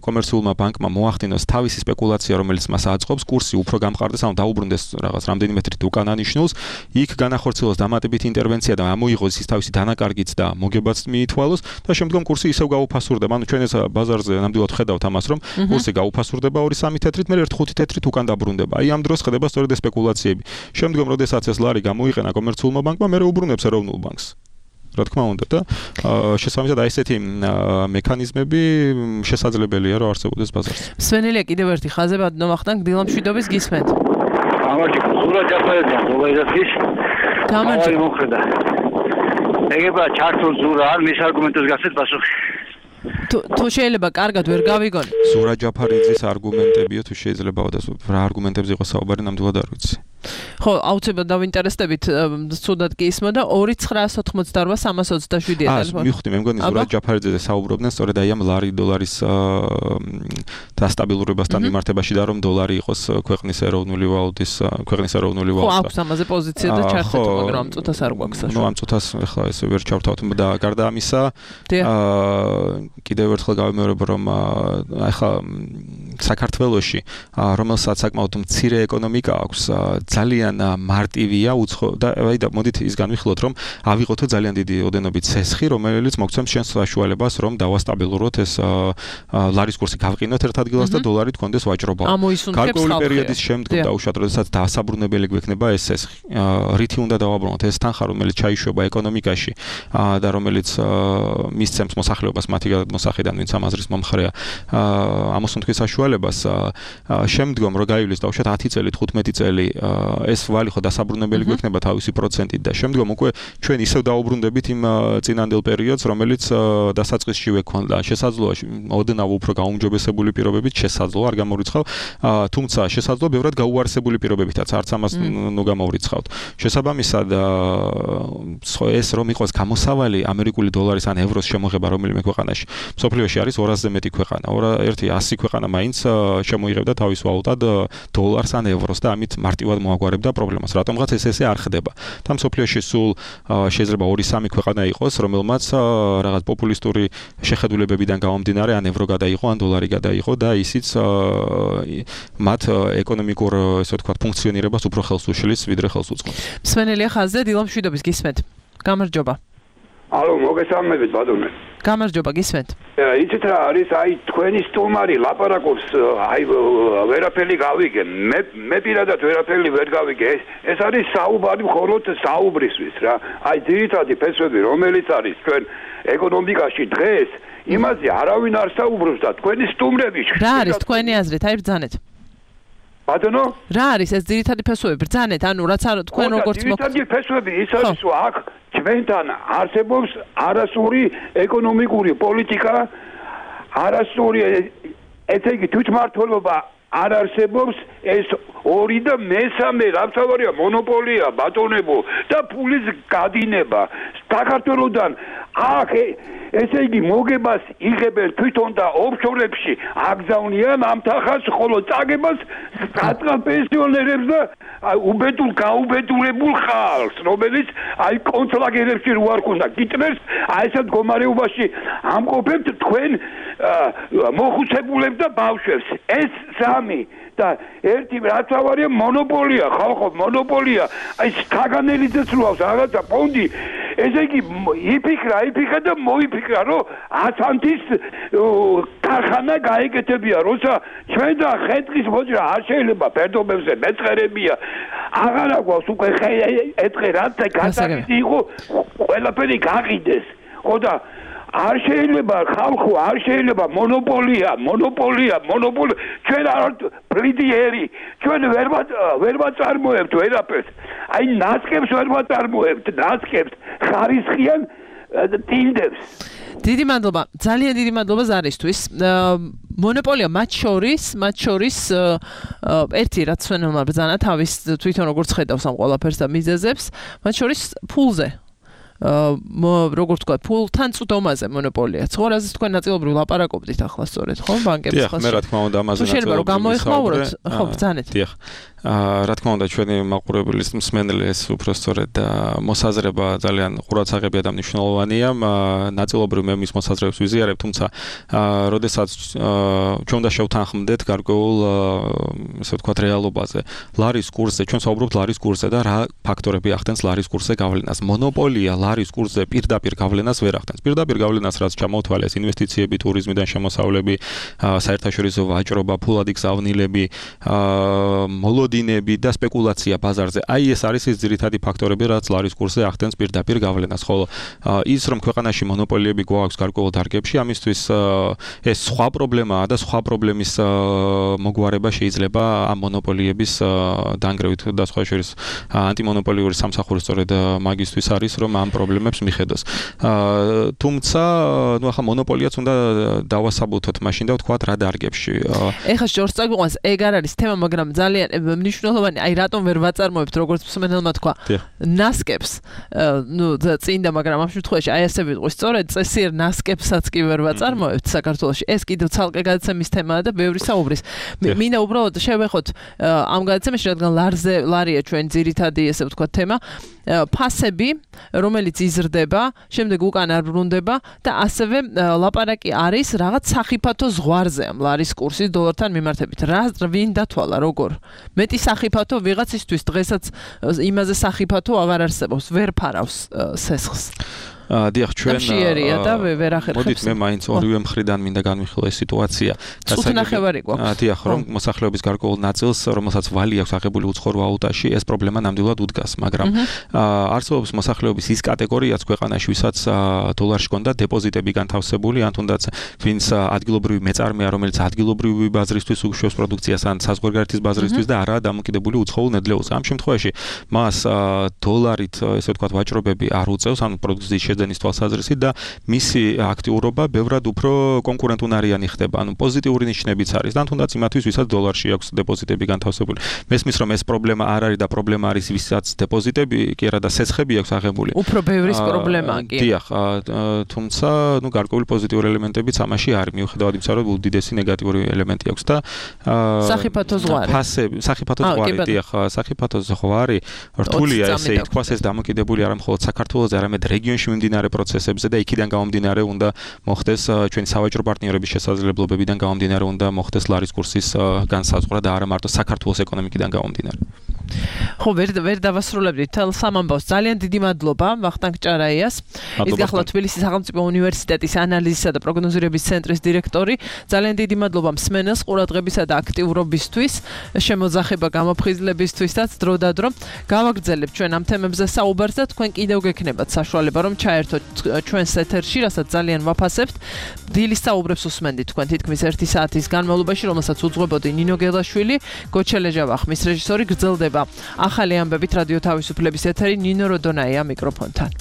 კომერციულმა ბანკმა მოახდინოს თავისი სპეკულაცია, რომელიც მას აწყობს, კურსი უფრო გამყარდეს, ანუ დაუბრუნდეს რაღაც რამდენიმე მეტრით უკანა ნიშნულს, იქ განახორციელოს დამატებითი ინტერვენცია და ამოიღოს ის თავისი დანაკარგიც და მოგებაც მიითვალოს და შემდგომ კურსი ისევ გაუფასურდება. ანუ ჩვენ ეს ბაზარზე ნამდვილად ხედავთ ამას, რომ კურსი გაუფასურდება 2-3 თეთრით, მე 1-5 თეთრით უკან დაბრუნდება. აი ამ დროს ხდება სწორედ ეს სპეკულაციები. შემდგომ როდესაც ეს ლარი გამოიყენა კომერციულმა ბანკმა, მე უბრუნებს ეროვნულ ბანკს. რა თქმა უნდა და შესაბამისად აი ესეთი მექანიზმები შესაძლებელია რომ არსებობდეს ბაზარზე. სვენელია კიდევ ერთი ხაზებად ნომახტან დილამშვიდობის გისმენთ. გამარჯობა, სურა ჯაფარიძე გლობალიზაციის გამარჯობა. მოხდა. ეგება ჩართულ ზურა არ მის არგუმენტებს გასცეთ პასუხი. თუ შეიძლება კარგად ვერ გავიგონი. სურა ჯაფარიძის არგუმენტებიო თუ შეიძლება რა არგუმენტებზე იყო საუბარი ნამდვილად არ ვიცი. ხო, აუცილებლად დავინტერესდებით, ცუდად კი ისმოდა 2988327 ტელეფონი. მივხვდი, მე მგონი ზურა ჯაფარიძეზე საუბრობდნენ სწორედ აი ამ ლარი დოლარის დასტაბილურებასთან მიმართებაში და რომ დოლარი იყოს ქვეყნის ეროვნული ვალუტის, ქვეყნის ეროვნული ვალუტა. ხო, აქვს ამაზე პოზიცია და ჩართეთ, მაგრამ ამ წუთას არ გვაქვს საშუალება. ნუ ამ წუთას ახლა ესე ვერ ჩავთავთ და გარდა ამისა, კიდევ ერთხელ გავიმეორებ, რომ ახლა საქართველოში, რომელსაც საკმაოდ მცირე ეკონომიკა აქვს, ძალიან მარტივია უცხო და აი და მოდით ის განვიხილოთ, რომ ავიღოთო ძალიან დიდი ოდენობით სესხი, რომელიც მოგცემს შენს საშუალებას, რომ დავასტაბილუროთ ეს ლარის კურსი გავყინოთ ერთ ადგილას და დოლარი თქონდეს ვაჭრობა. გარკვეული პერიოდის შემდგომ დაუშვათ, როდესაც დაასაბრუნებელი გვექნება ეს სესხი. რითი უნდა დავაბრუნოთ ეს თანხა, რომელიც ჩაიშვება ეკონომიკაში და რომელიც მისცემს მოსახლეობას მათი გადმოსახედიდან, ვინც ამ აზრის მომხრეა, ამოსუნთქვის საშუალებას. შემდგომ რო გაივლის დაუშვათ 10 წელი, 15 წელი ეს ვალი ხო დასაბრუნებელი გვექნება თავისი პროცენტით და შემდგომ უკვე ჩვენ ისევ დაუბრუნდებით იმ წინანდელ პერიოდს, რომელიც დასაწყისში ვექონდა. შესაძლოა ოდნავ უფრო გაუმჯობესებული პირობებით შესაძლოა არ გამორიცხავ, თუმცა შესაძლოა ბევრად გაუარსებული პირობებითაც არც ამას ნუ გამორიცხავთ. შესაბამისად ეს რომ იყოს გამოსავალი ამერიკული დოლარის ან ევროს შემოღება რომელიმე ქვეყანაში. მსოფლიოში არის 200-ზე მეტი ქვეყანა, ერთი 100 ქვეყანა მაინც შემოიღებდა თავის ვალუტად დოლარს ან ევროს და ამით მარტივად მოაგვარებდა პრობლემას. რატომღაც ეს არ ხდება. და მსოფლიოში სულ შეიძლება 2-3 ქვეყანა იყოს, რომელმაც რაღაც პოპულისტური შეხედულებებიდან გამომდინარე ან ევრო გადაიღო, ან დოლარი გადაიღო და ისიც მათ ეკონომიკურ, ესე ვთქვათ, ფუნქციონირებას უფრო ხელს უშლის, ვიდრე ხელს უწყობს. მსმენელია ხაზზე დილა მშვიდობის გისმენთ. გამარჯობა. ალო, მოგესალმებით ბატონო. გამარჯობა, გისმენთ. იცით რა არის, აი თქვენი სტუმარი ლაპარაკობს, აი ვერაფერი გავიგე. მე პირადად ვერაფერი ვერ გავიგე. ეს არის საუბარი მხოლოდ საუბრისთვის რა. აი ძირითადი ფესვები, რომელიც არის ჩვენ ეკონომიკაში დღეს, იმაზე არავინ არ საუბრობს და თქვენი სტუმრები. რა არის თქვენი აზრით? აი ბრძანეთ. ბატონო? რა არის ეს ძირითადი ფესვები? ბრძანეთ, ანუ რაც არ თქვენ როგორც ძირითადი ფესვები ის არის, რომ აქ ჩვენთან არსებობს არასწორი ეკონომიკური პოლიტიკა, არასწორი ესე იგი თვითმმართველობა არ არსებობს, ეს 2 და 3 რამთავარია მონოპოლია ბატონებო და ფულის გადინება საქართველოსთან აქ ესე იგი მოგებას იღებენ თვითონ და ოფშორებში აგზავნიან ამთახას ხოლო წაგებას საწყალ პენსიონერებს და უბედურ გაუბედურებულ ხალხს რომელიც აი კონცლაგერებში რო არ ქონდა გიტმერს აი ესეთ მდგომარეობაში ამყოფებთ თქვენ მოხუცებულებს და ბავშვებს ეს სამი და ერთი რაცავარია მონოპოლია ხალხო მონოპოლია აი საგანელიძეც როავს რაღაცა ფონდი ესე იგი იფიქრა და მოიფიქრა რომ ასანთის ქარხანა გაეკეთებია როცა ჩვენ და ხეთყის მოძრა არ შეიძლება ფერდობებზე მეწყერებია აღარა გვაქვს უკვე ეთყე რაც გასაგები იყო ყველაფერი გაყიდეს ხო და არ შეიძლება ხალხო არ შეიძლება მონოპოლია ჩვენ არ პრიდიერი ჩვენ ვერ ვაწარმოებთ ვერაფერს აი ნასკებს ვერ ვაწარმოებთ ნასკებს ხარისხიან ტინდებს დიდი მადლობა ძალიან დიდი მადლობა ზარისთვის მონოპოლია მათ შორის ერთი რაც ჩვენმა ბრძანა თავის თვითონ როგორც ხედავს ამ ყველაფერს და მიზეზებს მათ შორის ფულზე როგორც თქვა ფულთან წვდომაზე მონოპოლია. ხო, რაზეც თქვენ ნაწილობრივ ლაპარაკობდით ახლა სწორედ, ხო, ბანკების ხალხს. დიახ, მე რა თქმა უნდა ამაზე ნაწილობრივ. შეიძლება რომ გამოიხმაუროთ, ხო, ბრძანეთ. დიახ. რა თქმა უნდა ჩვენი მაყურებლის მსმენელი ეს უფრო სწორედ მოსაზრება ძალიან ყურადსაღებია და მნიშვნელოვანია. ნაწილობრივ მე მის მოსაზრებებს ვიზიარებ, თუმცა როდესაც ჩვენ უნდა შევთანხმდეთ გარკვეულ ესე ვთქვათ რეალობაზე. ლარის კურსზე, ჩვენ საუბრობთ ლარის კურსზე და რა ფაქტორები ახდენს ლარის კურსზე გავლენას. მონოპოლია ლარის კურსზე პირდაპირ გავლენას ვერ ახდენს. პირდაპირ გავლენას რაც ჩამოთვალეს ინვესტიციები, ტურიზმიდან შემოსავლები, საერთაშორისო ვაჭრობა, ფულადი გზავნილები, მოლოდინები და სპეკულაცია ბაზარზე. აი ეს არის ის ძირითადი ფაქტორები, რაც ლარის კურსზე ახდენს პირდაპირ გავლენას. ხოლო ის რომ ქვეყანაში მონოპოლიები გვაქვს გარკვეულ დარგებში, ამისთვის ეს სხვა პრობლემაა და სხვა პრობლემის მოგვარება შეიძლება ამ მონოპოლიების დანგრევით და სხვა შორის ანტიმონოპოლიური სამსახური სწორედ მაგისთვის არის, რომ ამ პრობლემებს მიხედოს. თუმცა, ნუ ახლა მონოპოლიაც უნდა დავასაბუთოთ მაშინ და ვთქვათ რა დარგებში. ეხლა შორს წაგვიყვანს, ეგ არ არის თემა, მაგრამ ძალიან მნიშვნელოვანი, აი რატომ ვერ ვაწარმოებთ, როგორც მსმენელმა თქვა, ნასკებს, ნუ წინდა, მაგრამ ამ შემთხვევაში აი ასე ვიტყვი, სწორედ წესიერ ნასკებსაც კი ვერ ვაწარმოებთ საქართველოში. ეს კიდევ ცალკე გადაცემის თემაა და ბევრი საუბრის. მინდა უბრალოდ შევეხოთ ამ გადაცემაში, რადგან ლარია ჩვენ ძირითადი ესე ვთქვათ თემა, ფასები, რომელიც იზრდება, შემდეგ უკან არ ბრუნდება და ასევე ლაპარაკი არის რაღაც სახიფათო ზღვარზე ამ ლარის კურსის დოლართან მიმართებით. რა ვინ დათვალა როგორ? მეტი სახიფათო ვიღაცისთვის დღესაც იმაზე სახიფათო აღარ არსებობს, ვერ ფარავს სესხს. დიახ, ჩვენ მშიერია და ვერ ახერხებს. მოდით მე მაინც ორივე მხრიდან მინდა განვიხილო ეს სიტუაცია. წუთნახევარი გვაქვს. დიახ, რომ მოსახლეობის გარკვეულ ნაწილს, რომელსაც ვალი აქვს აღებული უცხოურ ვალუტაში, ეს პრობლემა ნამდვილად უდგას, მაგრამ არსებობს მოსახლეობის ის კატეგორიაც ქვეყანაში, ვისაც დოლარში ჰქონდა დეპოზიტები განთავსებული, ან თუნდაც ვინც ადგილობრივი მეწარმეა, რომელიც ადგილობრივი ბაზრისთვის უშვებს პროდუქციას, ან საზღვარგარეთის ბაზრისთვის და არაა დამოკიდებული უცხოურ ნედლეულზე. ამ შემთხვევაში მას დოლარით, ესე ვთქვათ, ვაჭრობები არ უწევს, ან პროდუქციის პრეზიდენტის თვალსაზრისით და მისი აქტიურობა ბევრად უფრო კონკურენტუნარიანი ხდება. ანუ პოზიტიური ნიშნებიც არის და თუნდაც იმათვის, ვისაც დოლარში აქვს დეპოზიტები განთავსებული. მესმის რომ ეს პრობლემა არ არის და პრობლემა არის ვისაც დეპოზიტები კი არა და სესხები აქვს აღებული. უფრო ბევრის პრობლემაა კი. დიახ, თუმცა გარკვეული პოზიტიური ელემენტებიც ამაში არის. მიუხედავად იმისა, რომ უდიდესი ნეგატიური ელემენტი აქვს და სახიფათო ზღვარი. სახიფათო ზღვარი, დიახ, სახიფათო ზღვარი რთულია ესე ითქვას, ეს დამოკიდებული არა მხოლოდ საქართველოზე, არამედ რეგიონში მიმდინარე პროცესებზე და იქიდან გამომდინარე უნდა მოხდეს ჩვენი სავაჭრო პარტნიორების შესაძლებლობებიდან გამომდინარე უნდა მოხდეს ლარის კურსის განსაზღვრა და არა მარტო საქართველოს ეკონომიკიდან გამომდინარე. ხო, ვერ დავასრულებდით თელ სამამბავს. ძალიან დიდი მადლობა ვახტანგ ჭარაიას. ის გახლა თბილისის სახელმწიფო უნივერსიტეტის ანალიზისა და პროგნოზირების ცენტრის დირექტორი. ძალიან დიდი მადლობა მსმენელს ყურადღებისა და აქტიურობისთვის, შემოძახება გამოფხიზლებისთვისაც დროდადრო. გავაგრძელებთ ჩვენ ამ თემებზე საუბარს და თქვენ კიდევ გექნებათ საშუალება რომ ჩაერთოთ ჩვენს ეთერში, რასაც ძალიან ვაფასებთ. დილის საუბრებს უსმენდით თქვენ თითქმის 1 საათის განმავლობაში, რომელსაც უძღვებოდი ნინო გელაშვილი, გოჩელეჟავა ხმის რეჟისორი. გრძელდება ახალი ამბებით რადიო თავისუფლების ეთერი, ნინო როდონაია მიკროფონთან.